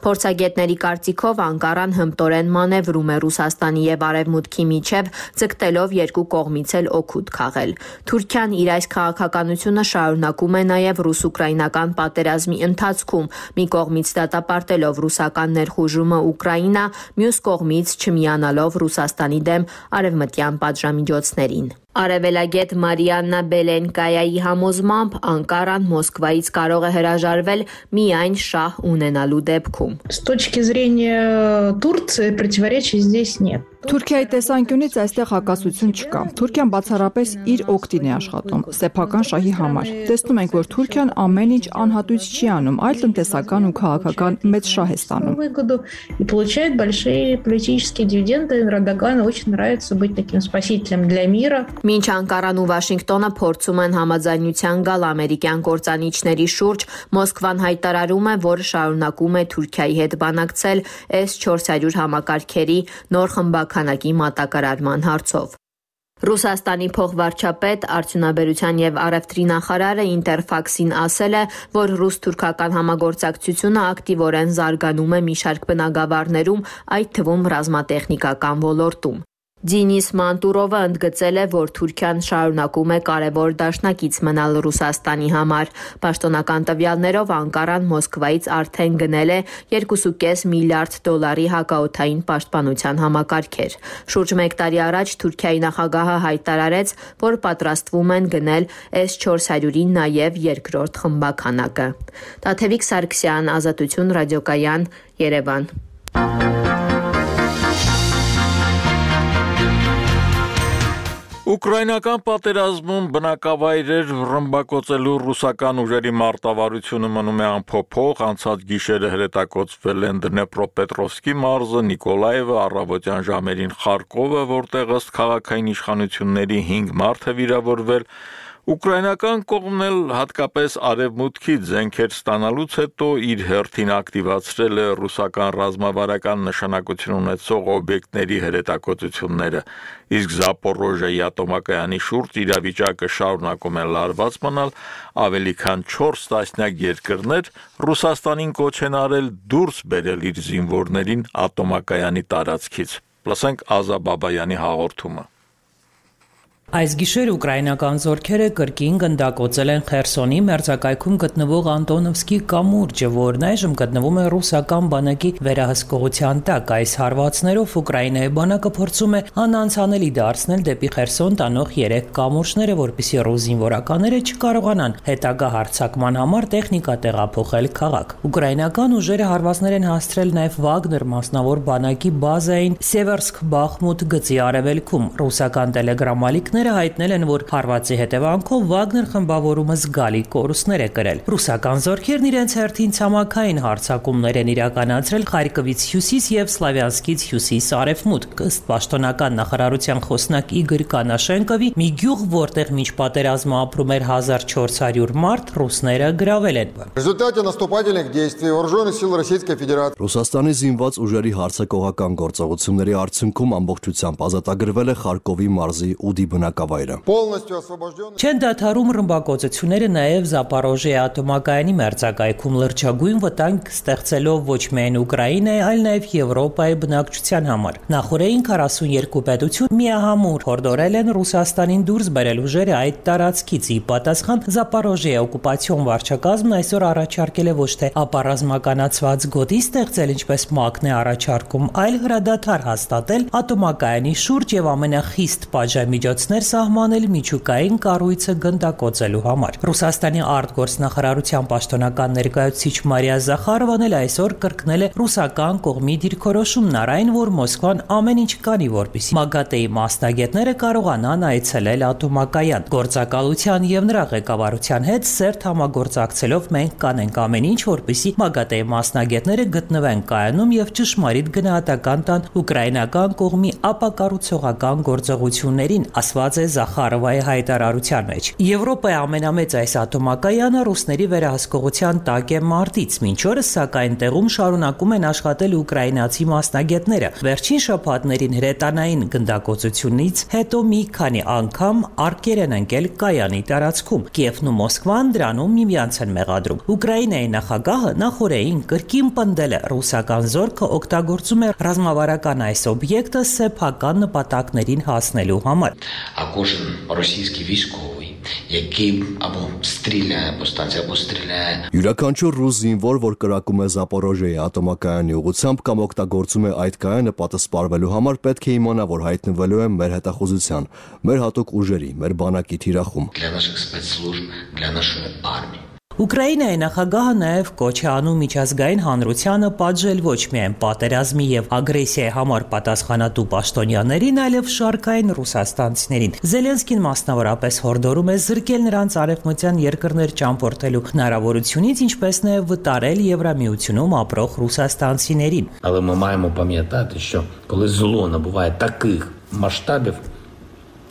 Փորձագետների կարծիքով Անկարան հմտորեն մանևրում է Ռուսաստանի եւ Արևմուտքի միջև, ձգտելով երկու կողմից էլ օգուտ քաղել։ Թուրքիան իր այս քաղաքականությունը շարունակում է նաեւ ռուս-ուկրաինական պատերազմի ընթացքում, մի կողմից դատապարտելով ռուսական ներխուժումը Ուկրաինա, մյուս կողմից չմիանալով Ռուսաստանի դեմ արևմտյան պատժամիջոցներին։ Արևելագետ Մարիաննա Բելենկայայի համոզմամբ Անկարան Մոսկվայից կարող է հրաժարվել միայն շահ ունենալու դեպքում։ С точки зрения Турции противоречий здесь нет. Թուրքիայի տեսանկյունից այստեղ հակասություն չկա։ Թուրքիան բացառապես իր օգտին է աշխատում, սեփական շահի համար։ Տեսնում ենք, որ Թուրքիան ամեն ինչ անհատույց չի անում, այլ տնտեսական ու քաղաքական մեծ շահ է ստանում։ И получает большие политические дивиденды. Эрдогану очень нравится быть таким спасителем для мира. Մինչ Անկարան ու Վաշինգտոնը փորձում են համաձայնության գալ ամերիկյան կործանիչների շուրջ, Մոսկվան հայտարարում է, որ շարունակում է Թուրքիայի հետ բանակցել էս չորս հարյուր համակարգերի նոր խմբականակի մատակարարման հարցով։ Ռուսաստանի փոխվարչապետ, արդյունաբերության եւ առևտրի նախարարը Ինտերֆաքսին ասել է, որ ռուս-թուրքական համագործակցությունը ակտիվորեն զարգանում է մի շարք բնագավառներում, այդ թվում ռազմատեխնիկական ոլորտում։ Դինիս Մանտուրովը ընդգծել է, որ Թուրքիան շարունակում է կարևոր դաշնակից մնալ Ռուսաստանի համար։ Պաշտոնական տվյալներով Անկարան Մոսկվայից արդեն գնել է երկու կoma պենս միլիարդ դոլարի հակաօդային պաշտպանության համակարգեր։ Շուրջ մեկ տարի առաջ Թուրքիայի նախագահը հայտարարեց, որ պատրաստվում են գնել էս չորս հարյուրի նաև երկրորդ խմբականակը։ Տաթևիկ Սարգսյան, Ազատություն ռադիոկայան, Երևան։ Ուկրաինական պատերազմում բնակավայրեր ռմբակոծելու ռուսական ուժերի մարտավարությունը մնում է անփոփոխ, անցած գիշերը հրետակոծվել են Դնեպրոպետրովսկի մարզը, Նիկոլաևը, առավոտյան ժամերին Խարկովը, որտեղ ըստ քաղաքային իշխանությունների հինգ մարդ է վիրավորվել։ Ուկրաինական կողմն էլ հատկապես արևմուտքից զենքեր ստանալուց հետո իր հերթին ակտիվացրել է ռուսական ռազմավարական նշանակություն ունեցող օբյեկտների հրետակոծությունները, իսկ Զապորոժիայի ատոմակայանի շուրջ իրավիճակը շարունակում է լարված մնալ, ավելի քան չորս տասնյակ երկրներ Ռուսաստանին կոչ են արել դուրս բերել իր զինվորներին ատոմակայանի տարածքից։ Լսենք Ազա Բաբայանի հաղորդումը։ Այս գիշեր ուկրաինական զորքերը կրկին գնդակոծել են Խերսոնի մերձակայքում գտնվող Անտոնովսկի կամուրջը, որն այժմ գտնվում է ռուսական բանակի վերահսկողության տակ։ Այս հարվածներով Ուկրաինայի բանակը փորձում է անանցանելի դարձնել դեպի Խերսոն տանող երեք կամուրջները, որպեսզի ռուս զինվորականները չկարողանան հետագա հարձակման համար տեխնիկա տեղափոխել քաղաք։ Ուկրաինական ուժերը հարվածներ են հասցրել նաև Վագներ մասնավոր բանակի բազային Սևերսկ-Բախմուտ գծի արևելքում։ Ռուսական տելեգրամալիքները հայտնել են, որ հարվածի հետևանքով Վագներ խմբավորումը զգալի կորուստներ է կրել։ Ռուսական զորքերն իրենց հերթին ցամաքային հարձակումներ են իրականացրել Խարկովից հյուսիս եւ Սլավյանսկից հյուսիս-արևմուտք։ Ըստ պաշտոնական նախարարության խոսնակ Իգոր Կանաշենկովի, մի գյուղ, որտեղ մինչ պատերազմը ապրում էր հազար չորս հարյուր մարդ, ռուսները գրավել են։ Результате наступательных действий вооруженных сил Российской Федерации Ռուսաստանի զինված ուժերի հարձակողական գործողությունների արդյունքում ամբողջությամբ ազատագրվել է Խարկովի մարզի Ուդի բնակավայրը։ Չեն դադարում ռմբակոծությունները նաև Զապորոժիայի ատոմակայանի մերձակայքում լրջագույն վտանգ ստեղծելով ոչ միայն Ուկրաինայի, այլ նաև Եվրոպայի բնակչության համար։ Նախորդին քառասունյոթ պետություն միահամուռ հորդորել են Ռուսաստանին դուրս բերել ուժերը այդ տարածքից։ Ի պատասխան Զապորոժիայի օկուպացիոն վարչակազմն այսօր առաջարկել է ոչ թե ապառազմականացված գոտի ստեղծել, ինչպես ՄԱԿ-ն է առաջարկում, այլ հրադադար հաստատել ատոմակայանի շուրջ եւ ամենախիստ պատժամիջոցներ սահմանել միջուկային կառույցը գնդակոծելու համար։ Ռուսաստանի արտգործնախարարության պաշտոնական ներկայացուցիչ Մարիա Զախարովան էլ այսօր կրկնել է ռուսական կողմի դիրքորոշումն առայն, որ Մոսկվան ամեն ինչ կանի, որպեսզի ՄԱԳԱՏԷ-ի մասնագետները կարողանան այցելել ատոմակայան։ Գործակալության եւ նրա ղեկավարության հետ սերտ համագործակցելով մենք կանենք ամեն ինչ, որպեսզի ՄԱԳԱՏԷ-ի մասնագետները գտնվեն կայանում եւ ճշմարիտ գնահատական տան ուկրաինական կողմի ապակառուցողական գործողություններին, ասված է Զախարովայի հայտարարության մեջ։ Եվրոպայի ամենամեծ այս ատոմակայանը ռուսների վերահսկողության տակ է մարտից։ Մինչ օրս սակայն տեղում շարունակում են աշխատել ուկրաինացի մասնագետները։ Վերջին շաբաթներին հրետանային գնդակոծությունից հետո մի քանի անգամ արկեր են ընկել կայանի տարածքում։ Կիևն ու Մոսկվան դրանում միմյանց են մեղադրում։ Ուկրաինայի նախագահը նախորդին կրկին պնդել է, ռուսական զորքը օգտագործում է ռազմավարական այս օբյեկտը սեփական նպատակներին հասնելու համար։ А кожен російський військовий, який або стріляє, або станція, або стріляє. Յուրաքանչյուր ռուս զինվոր, որ կրակում է Զապորոժիայի ատոմակայանի ուղղությամբ կամ օգտագործում է այդ կայանը պատասպարվելու համար, պետք է իմանա, որ հայտնվելու է մեր հետախուզության, մեր հատուկ ուժերի, մեր բանակի թիրախում։ Для наших спецслужб, для нашої армії. Ուկրաինայի նախագահը նաև կոչ է անում միջազգային հանրությանը պատժել ոչ միայն պատերազմի եւ ագրեսիայի համար պատասխանատու պաշտոնյաներին, այլև շարքային ռուսաստանցիներին։ Զելենսկին մասնավորապես հորդորում է զրկել նրանց արևմտյան երկրներ ճամփորդելու հնարավորությունից, ինչպես նաև витарել Євроміությունում ապրող ռուսաստանցիներին։ Але ми маємо пам'ятати, що коли зло набуває таких масштабів,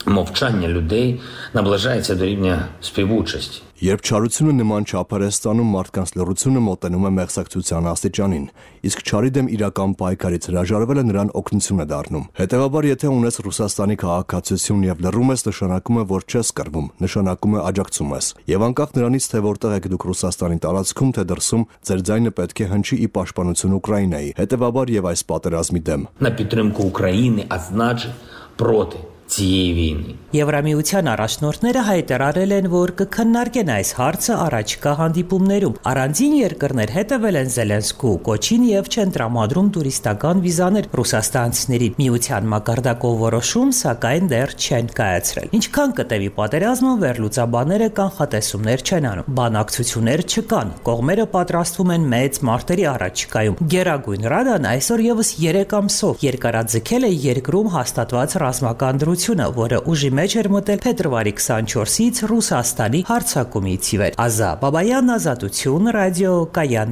мовчання людей наближається до рівня співучасті. Երբ չարությունը նման չափեր է ստանում, մարդկանց լռությունը մոտենում է մեղսակցության աստիճանին, իսկ չարի դեմ իրական պայքարից հրաժարվելը նրան օգնություն է դառնում։ Հետևաբար, եթե ունես Ռուսաստանի քաղաքացիություն եւ լռում ես, նշանակում է, որ չես կռվում, նշանակում է աջակցում ես։ Եվ անկախ նրանից, թե որտեղ եք դուք Ռուսաստանի տարածքում, թե դրսում, ձեր ձայնը պետք է հնչի ի պաշտպանություն Ուկրաինայի, հետևաբար եւ այս պատերազմի դեմ։ На підтримку України, а значить проти цієї війни. Եվրամիության առաջնորդները հայտարարել են, որ կքննարկեն այս հարցը առաջիկա հանդիպումներում։ Առանձին երկրներ հետևել են Զելենսկու կոչին եւ չեն տրամադրում տուրիստական վիզաներ ռուսաստանցիներին։ Միության մակարդակով որոշում, սակայն դեռ չեն կայացրել։ Ինչքան կտևի պատերազմը, վերլուծաբանները կանխատեսումներ չեն անում։ Բանակցություններ չկան։ Կողմերը պատրաստվում են մեծ մարտերի առաջիկայում։ Գերագույն Ռադան այսօր եւս երեք ամսով երկարաձգել է երկրում հաստատված ռազմական դրությունը, որը ուժի մեջ էր մտել փետրվարի քսանչորսից Ռուսաստանի հարձակումից ի վեր։ Ազա Բաբայան, Ազատություն, Ռադիո Կայան։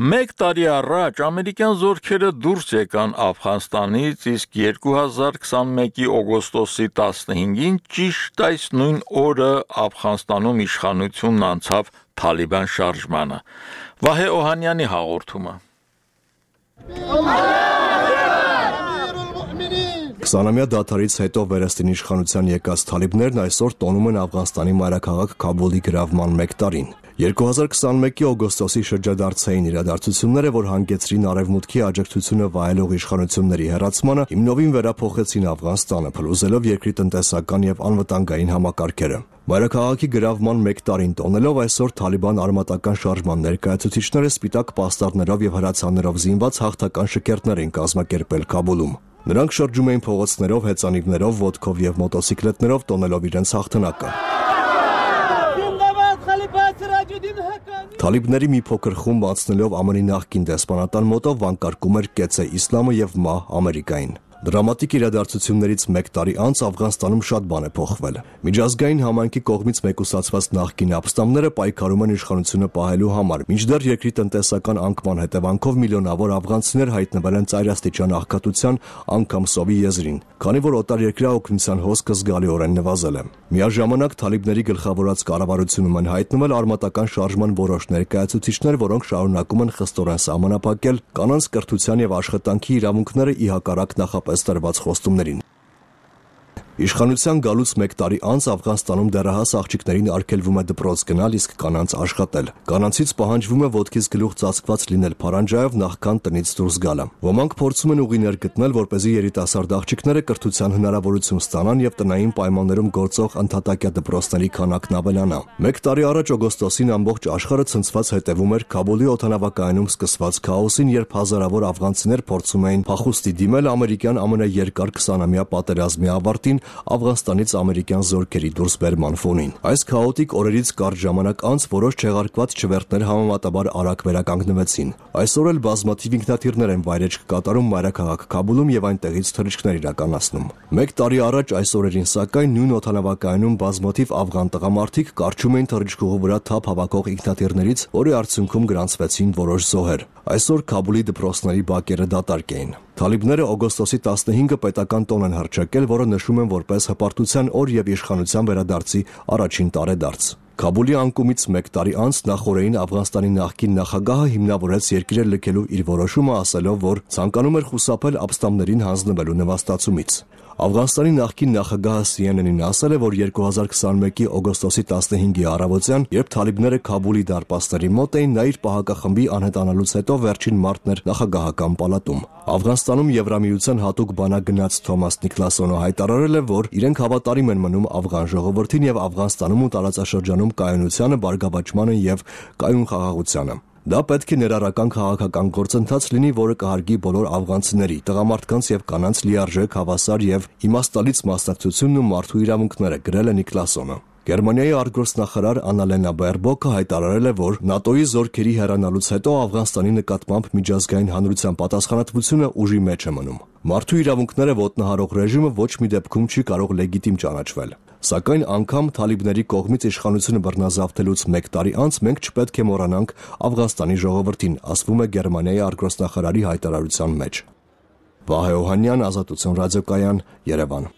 Մեկ տարի առաջ ամերիկյան զորքերը դուրս եկան Աֆղանստանից, իսկ երկու հազար քսանմեկի օգոստոսի տասնհինգին ճիշտ այս նույն օրը Աֆղանստանում իշխանությունն անցավ Թալիբան շարժմանը։ Վահե Օհանյանի հաղորդումը։ Քսանամյա դադարից հետո վերստին իշխանության եկած թալիբներն այսօր տոնում են Աֆղանստանի մայրաքաղաք Քաբուլի գրավման մեկ տարին։ երկու հազար քսանմեկի օգոստոսի շրջադարձային իրադարձությունները, որ հանգեցրին արևմուտքի աջակցությունը վայելող իշխանությունների հեռացմանը, հիմնովին վերափոխեցին Աֆղանստանը, փլուզելով երկրի տնտեսական եւ անվտանգային համակարգերը։ Մայրաքաղաքի գրավման մեկ տարին տոնելով այսօր Թալիբան արմատական շարժման ներկայացուցիչները սպիտակ պաստառներով եւ հրացաններով զինված հաղթական շքերթներ են կազմակերպել Քաբուլում։ Նրանք շրջում էին փողոցներով, հեծանիվներով, ոտքով եւ մոտոցիկլետներով տոնելով իրենց հաղթանակը։ Թալիբների մի փոքր խումբ անցնելով ԱՄՆ-ի նախկին դեսպանատան մոտով վանկարկում էր «Կեցե իսլամը» եւ «Մահ Ամերիկային»։ Դրամատիկ իրադարձություններից մեկ տարի անց Աֆղանստանում շատ բան է փոխվել։ Միջազգային համայնքի կողմից մեկուսացված նախկին ապստամբները պայքարում են իշխանությունը պահելու համար, մինչդեռ երկրի տնտեսական անկման հետևանքով միլիոնավոր աֆղանցիներ հայտնվել են ծայրաստիճան աղքատության, անգամ սովի եզրին, քանի որ օտարերկրյա օգնության հոսքը զգալիորեն նվազել է։ Միաժամանակ Թալիբների գլխավորած կառավարությունում են հայտնվել արմատական շարժման որոշ ներկայացուցիչներ, որոնք շարունակում են խստորեն սահմանափակել կանանց կրթության եւ աշխատանքի իրավունքները ի հակառակ նախապես տրված խոստումներին։ Իշխանության գալուց մեկ տարի անց Աֆղանստանում դեռահաս աղջիկներին արգելվում է դպրոց գնալ, իսկ կանանց աշխատել։ Կանանցից պահանջվում է ոտքից գլուխ ծածկված լինել փարանջայով նախքան տնից դուրս գալը։ Ոմանք փորձում են ուղիներ գտնել, որպեսզի երիտասարդ աղջիկները կրթության հնարավորություն ստանան եւ տնային պայմաններում գործող ընդհատակյա դպրոցների քանակն ավելանա։ Մեկ տարի առաջ օգոստոսին ամբողջ աշխարհը ցնցված հետևում էր Քաբուլի օդանավակայանում սկսված քաոսին, երբ հազարավոր աֆղանցիներ փորձում էին փախուստի դիմել ամերիկյան ամենաերկար քսանամյա պատերազմի ավարտին Աֆղանստանից ամերիկյան զորքերի դուրսբերման ֆոնին։ Այս քաոտիկ օրերից կարճ ժամանակ անց որոշ չեղարկված չվերթներ համեմատաբար արագ վերականգնվեցին։ Այսօր էլ բազմաթիվ ինքնաթիռներ են վայրեջք կատարում մայրաքաղաք Քաբուլում եւ այնտեղից թռիչքներ իրականացնում։ Մեկ տարի առաջ այս օրերին սակայն նույն օդանավակայանում բազմաթիվ աֆղան տղամարդիկ կարճում էին թռիչքուղու վրա թափ հավաքող ինքնաթիռներից, որի արդյունքում գրանցվեցին որոշ զոհեր։ Այսօր Քաբուլի դպրոցների բակերը դատարկ էին։ Թալիբները օգոստոսի տասնհինգը պետական տոն են հռչակել, որը նշում են որպես հպարտության օր եւ իշխանության վերադարձի առաջին տարեդարձ։ Քաբուլի անկումից մեկ տարի անց նախորդին Աֆղանստանի նախկին նախագահը հիմնավորեց երկիրը լքելու իր որոշումը, ասելով, որ ցանկանում էր խուսափել ապստամբներին հանձնվելու նվաստացումից։ Աֆղանստանի նախկին նախագահը C N N-ին ասել է, որ երկու հազար քսանմեկի օգոստոսի տասնհինգի առավոտյան, երբ Թալիբները Քաբուլի դարպասների մոտ էին, նա իր պահակախմբի անհետանալուց հետո վերջին մարտն էր նախագահական պալատում։ Աֆղանստանում Եվրամիության հատուկ բանակ գնաց Թոմաս Նիկլասոնը հայտարարել է, որ իրենք հավատարիմ են մնում աֆղան ժողովրդին եւ Աֆղանստանում ու տարածաշրջանում կայունությանը, բարգավաճմանը եւ կայուն խաղաղությանը։ Դա պետք է ներառական քաղաքական գործընթաց լինի, որը կհարգի բոլոր աֆղանցիների, տղամարդկանց եւ կանանց լիարժեք, հավասար եւ իմաստալից մասնակցությունն ու մարդու իրավունքները, գրել է Նիկլասոնը։ Գերմանիայի արտգործնախարար Աննալենա Բերբոկը հայտարարել է, որ ՆԱՏՕ-ի զորքերի հեռանալուց հետո Աֆղանստանի նկատմամբ միջազգային հանրության պատասխանատվությունը ուժի մեջ է մնում։ Մարդու իրավունքները ոտնահարող ռեժիմը ոչ մի դեպքում չի կարող լեգիտիմ ճանաչվել։ Սակայն անգամ թալիբների կողմից իշխանությունը բռնազավթելուց մեկ տարի անց մենք չպետք է մոռանանք Աֆղանստանի ժողովրդին, ասվում է Գերմանիայի արտգործնախարարի հայտարարության մեջ։ Վահե Օհանյան, Ազատություն ռադիոկայան, Երևան։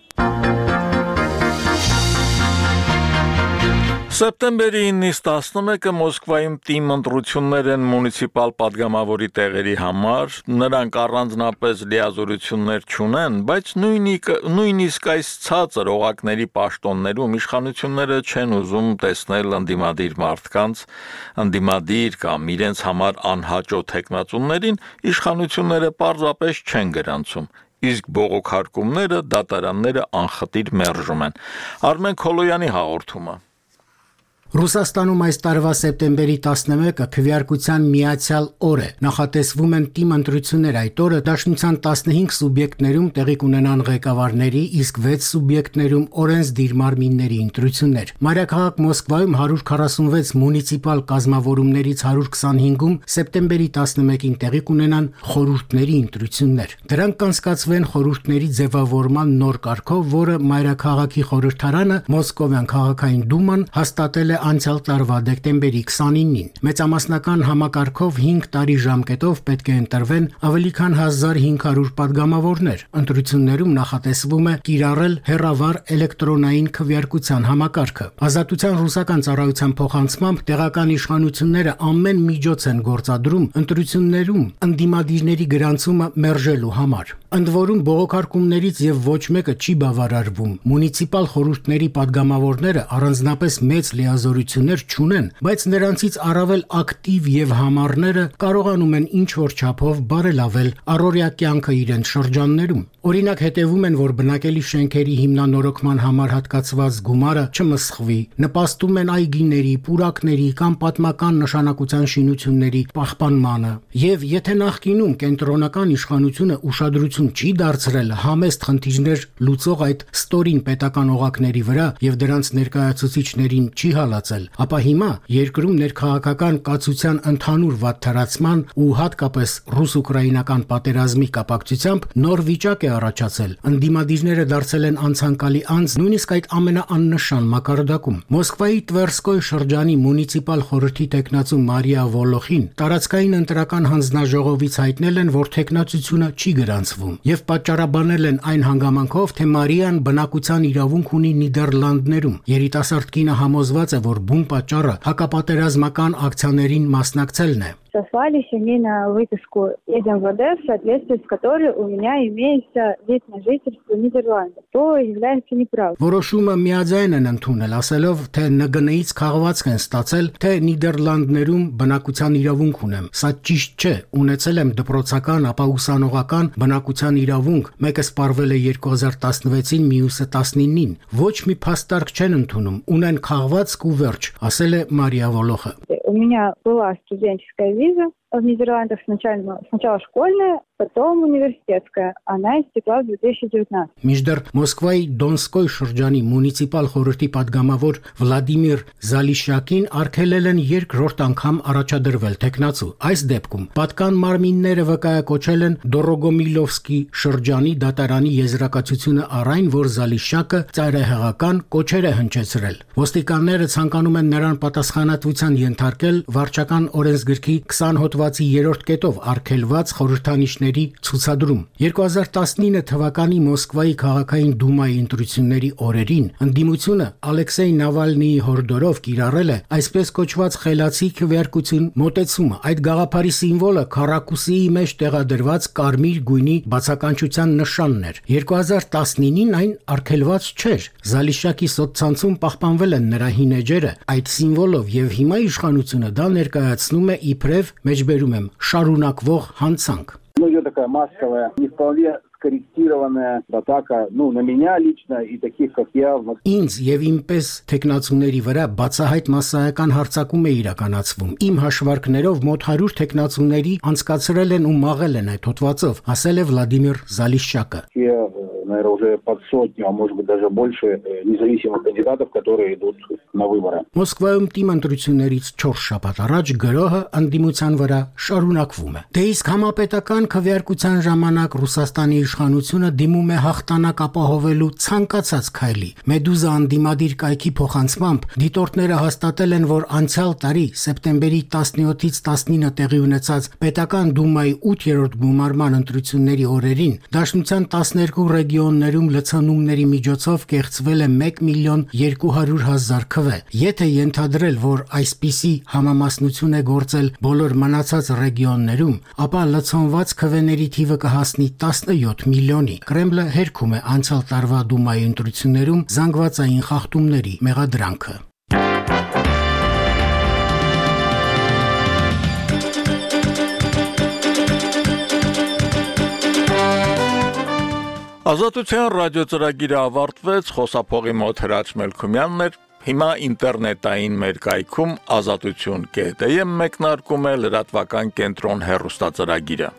Սեպտեմբերի իննից տասնմեկը Մոսկվայում թիմ ընտրություններ են մունիցիպալ падգամավորի տեղերի համար, նրանք առանձնապես լիազորություններ չունեն, բայց նույնիսկ այս ցածր օղակների պաշտոններում իշխանությունները չեն ուզում տեսնել ընդդիմադիր մարդկանց, ընդդիմադիր կամ իրենց համար անհաճո թեկնածուներին իշխանությունները պարզապես չեն գրանցում, իսկ բողոքարկումները, դատարանները անխտիր մերժում են։ Արմեն Քոլոյանի հաղորդումը։ Ռուսաստանում այս տարվա սեպտեմբերի տասնմեկը քվեարկության միացյալ օր է։ Նախատեսվում են թիմ ընտրություններ այդ օրը Դաշնության տասնհինգ սուբյեկտներում տեղի կունենան ղեկավարների, իսկ վեց սուբյեկտներում օրենսդիր մարմինների ընտրություններ։ Մայրաքաղաք Մոսկվայում հարյուր քառասունվեց մունիցիպալ կազմավորումներից հարյուր քսանհինգում սեպտեմբերի տասնմեկին տեղի կունենան խորհուրդների ընտրություններ։ Դրանք կանցկացվեն խորհուրդների ձևավորման նոր կարգով, որը Մայրաքաղաքի խորհրդարանը Մոսկովյան քաղաքային դուման հաստատել է անցյալ տարվա դեկտեմբերի քսանինին։ Մեծամասնական համակարգով հինգ տարի ժամկետով պետք է ընտրվեն ավելի քան հազար հինգ հարյուր падգամավորներ։ Ընտրություններում նախատեսվում է կիրառել հեռավար էլեկտրոնային քվեարկության համակարգը։ Ազատության ռուսական ծառայության փոխանցմամբ տեղական իշխանությունները ամեն միջոց են գործադրում ընտրություններում ընդդիմադիրների գրանցումը մերժելու համար։ Ընդ որում բողոքարկումներից եւ ոչ մեկը չի բավարարվում։ Մունիցիպալ խորհուրդների падգամավորները առանձնապես մեծ լիազորություններ չունեն, բայց նրանցից առավել ակտիվ եւ համառները կարողանում են ինչ-որ չափով բարելավել առօրյա կյանքը իրենց շրջաններում։ Օրինակ հետևում են, որ բնակելի շենքերի հիմնանորոգման համար հատկացված գումարը չմսխվի, նպաստում են այգիների, պուրակների կամ պատմական նշանակության շինությունների պահպանմանը։ Եվ եթե նախկինում կենտրոնական իշխանությունը ուշադրություն չի դարձրել համեստ խնդիրներ լուծող այդ ստորին պետական օղակների վրա եւ դրանց ներկայացուցիչներին չի հալածել, ապա հիմա երկրում ներքաղաքական կացության ընդհանուր վատթարացման ու հատկապես ռուս-ուկրաինական պատերազմի կապակցությամբ նոր վիճակ է առաջացել։ Ընդդիմադիրները դարձել են անցանկալի անձ նույնիսկ այդ ամենաաննշան մակարդակում։ Մոսկվայի Տվերսկոյ շրջանի մունիցիպալ խորհրդի տեխնացու Մարիա Վոլոխին տարածքային ընտրական հանձնաժողովից հայտնել են, որ տեխնացությունը չի գրանցվում եւ պատճառաբանել են այն հանգամանքով, թե Մարիան բնակության իրավունք ունի Նիդերլանդներում։ Երիտասարդ կինը համոզված է, որ բուն պատճառը հակապատերազմական ակցիաներին մասնակցելն է։ Сослали семейную выписку из эм вэ дэ, в соответствии с которой у меня имеется вид на жительство Нидерландов, то является неправдой. Որոշումը միաձայն են ընդունել, ասելով, թե Ն Գ Ն-ից քաղվածք են ստացել, թե Նիդերլանդներում բնակության իրավունք ունեմ։ Սա ճիշտ չէ, ունեցել եմ դպրոցական, ապա ուսանողական բնակության իրավունք, մեկը սպառվել է երկու հազար տասնվեցին, մյուսը տասնինին։ Ոչ մի փաստարկ չեն ընդունում, ունեն քաղվածք ու վերջ, ասել է Մարիա Վոլոխը։ У меня была студенческая виза в Нидерландах, сначала, сначала школьная, потом университетская. Она истекла в две тысячи девятнадцатом. Միջդեռ Մոսկվայի Դոնսկոյ շրջանի մունիցիպալ խորհրդի падգամավոր Վլադիմիր Զալիշյակին արգելել են երկրորդ անգամ առաջադրվել տեխնացու։ Այս դեպքում պատկան մարմինները վկայակոչել են Դորոգոմիլովսկի շրջանի դատարանի եզրակացությունը առայն, որ Զալիշյակը ծայրահեղական կոչեր է հնչեցրել։ Ոստիկանները ցանկանում են նրան պատասխանատվության ենթարկել վարչական օրենսգրքի քսան հոդվածի երրորդ կետով արգելված խորհրդանիշների ցուցադրում։ երկու հազար տասնինը թվականի Մոսկվայի քաղաքային դումայի ընտրությունների օրերին ընդդիմությունը Ալեքսեյ Նավալնիի հորդորով կիրառել է այսպես կոչված խելացի քվեարկություն մոտեցումը։ Այդ գաղափարի սիմվոլը քառակուսիի մեջ տեղադրված կարմիր գույնի բացականչության նշանն էր։ երկու հազար տասնինին այն արգելված չէր։ Զալիշյակի սոցցանցում պահպանվել են նրա հին էջերը այդ սիմվոլով եւ հիմա իշխանությունը դա ներկայացնում է իբրև, մեջբերում եմ, շարունակվող հանցանք։ Ну, идет такая массовая, не вполне скорректированная атака, ну, на меня лично и таких, как я. Ինձ եւ իմպես տեխնացուների վրա բացահայտ massայական հարձակում է իրականացվում։ Իմ հաշվարկներով մոտ հարյուր տեխնացուների անցկացրել են ու մաղել են այդ հոդվածով, ասել է Վլադիմիր Զալիշչակը։ Наверное, уже под сотню, а может быть даже больше независимых кандидатов, которые идут на выборы. Մոսկվայում տիմ ընտրություններից չորս շաբաթ առաջ գրոհը անդիմության վրա շարունակվում է։ Դե իսկ համապետական քվեարկության ժամանակ Ռուսաստանի իշխանությունը դիմում է հաղթանակ ապահովելու ցանկացած քայլի։ Մեդուզա անդիմադիր կայքի փոխանցմամբ դիտորդները հաստատել են, որ անցյալ տարի սեպտեմբերի տասնյոթից տասնինը տեղի ունեցած պետական դումայի ութերորդ գումարման ընտրությունների օրերին Դաշնության տասներկու ռեգիոններում լցանումների միջոցով կեղծվել է մեկ միլիոն երկու հարյուր հազար քվե։ Եթե ենթադրել, որ այսպիսի համամասնություն է գործել բոլոր մնացած ռեգիոններում, ապա լցոնված քվեների թիվը կհասնի տասնյոթ միլիոնի։ Կրեմլը հերքում է անցյալ տարվա դումայի ընտրություններում զանգվածային խախտումների մեղադրանքը։ Ազատության ռադիոծրագիրը ավարտվեց, խոսափողի մոտ Հրաչ Մելքումյանն էր, հիմա ինտերնետային մեր կայքում ազատություն կետ է մեկնարկում է լրատվական կենտրոն հեռուստածրագիրը։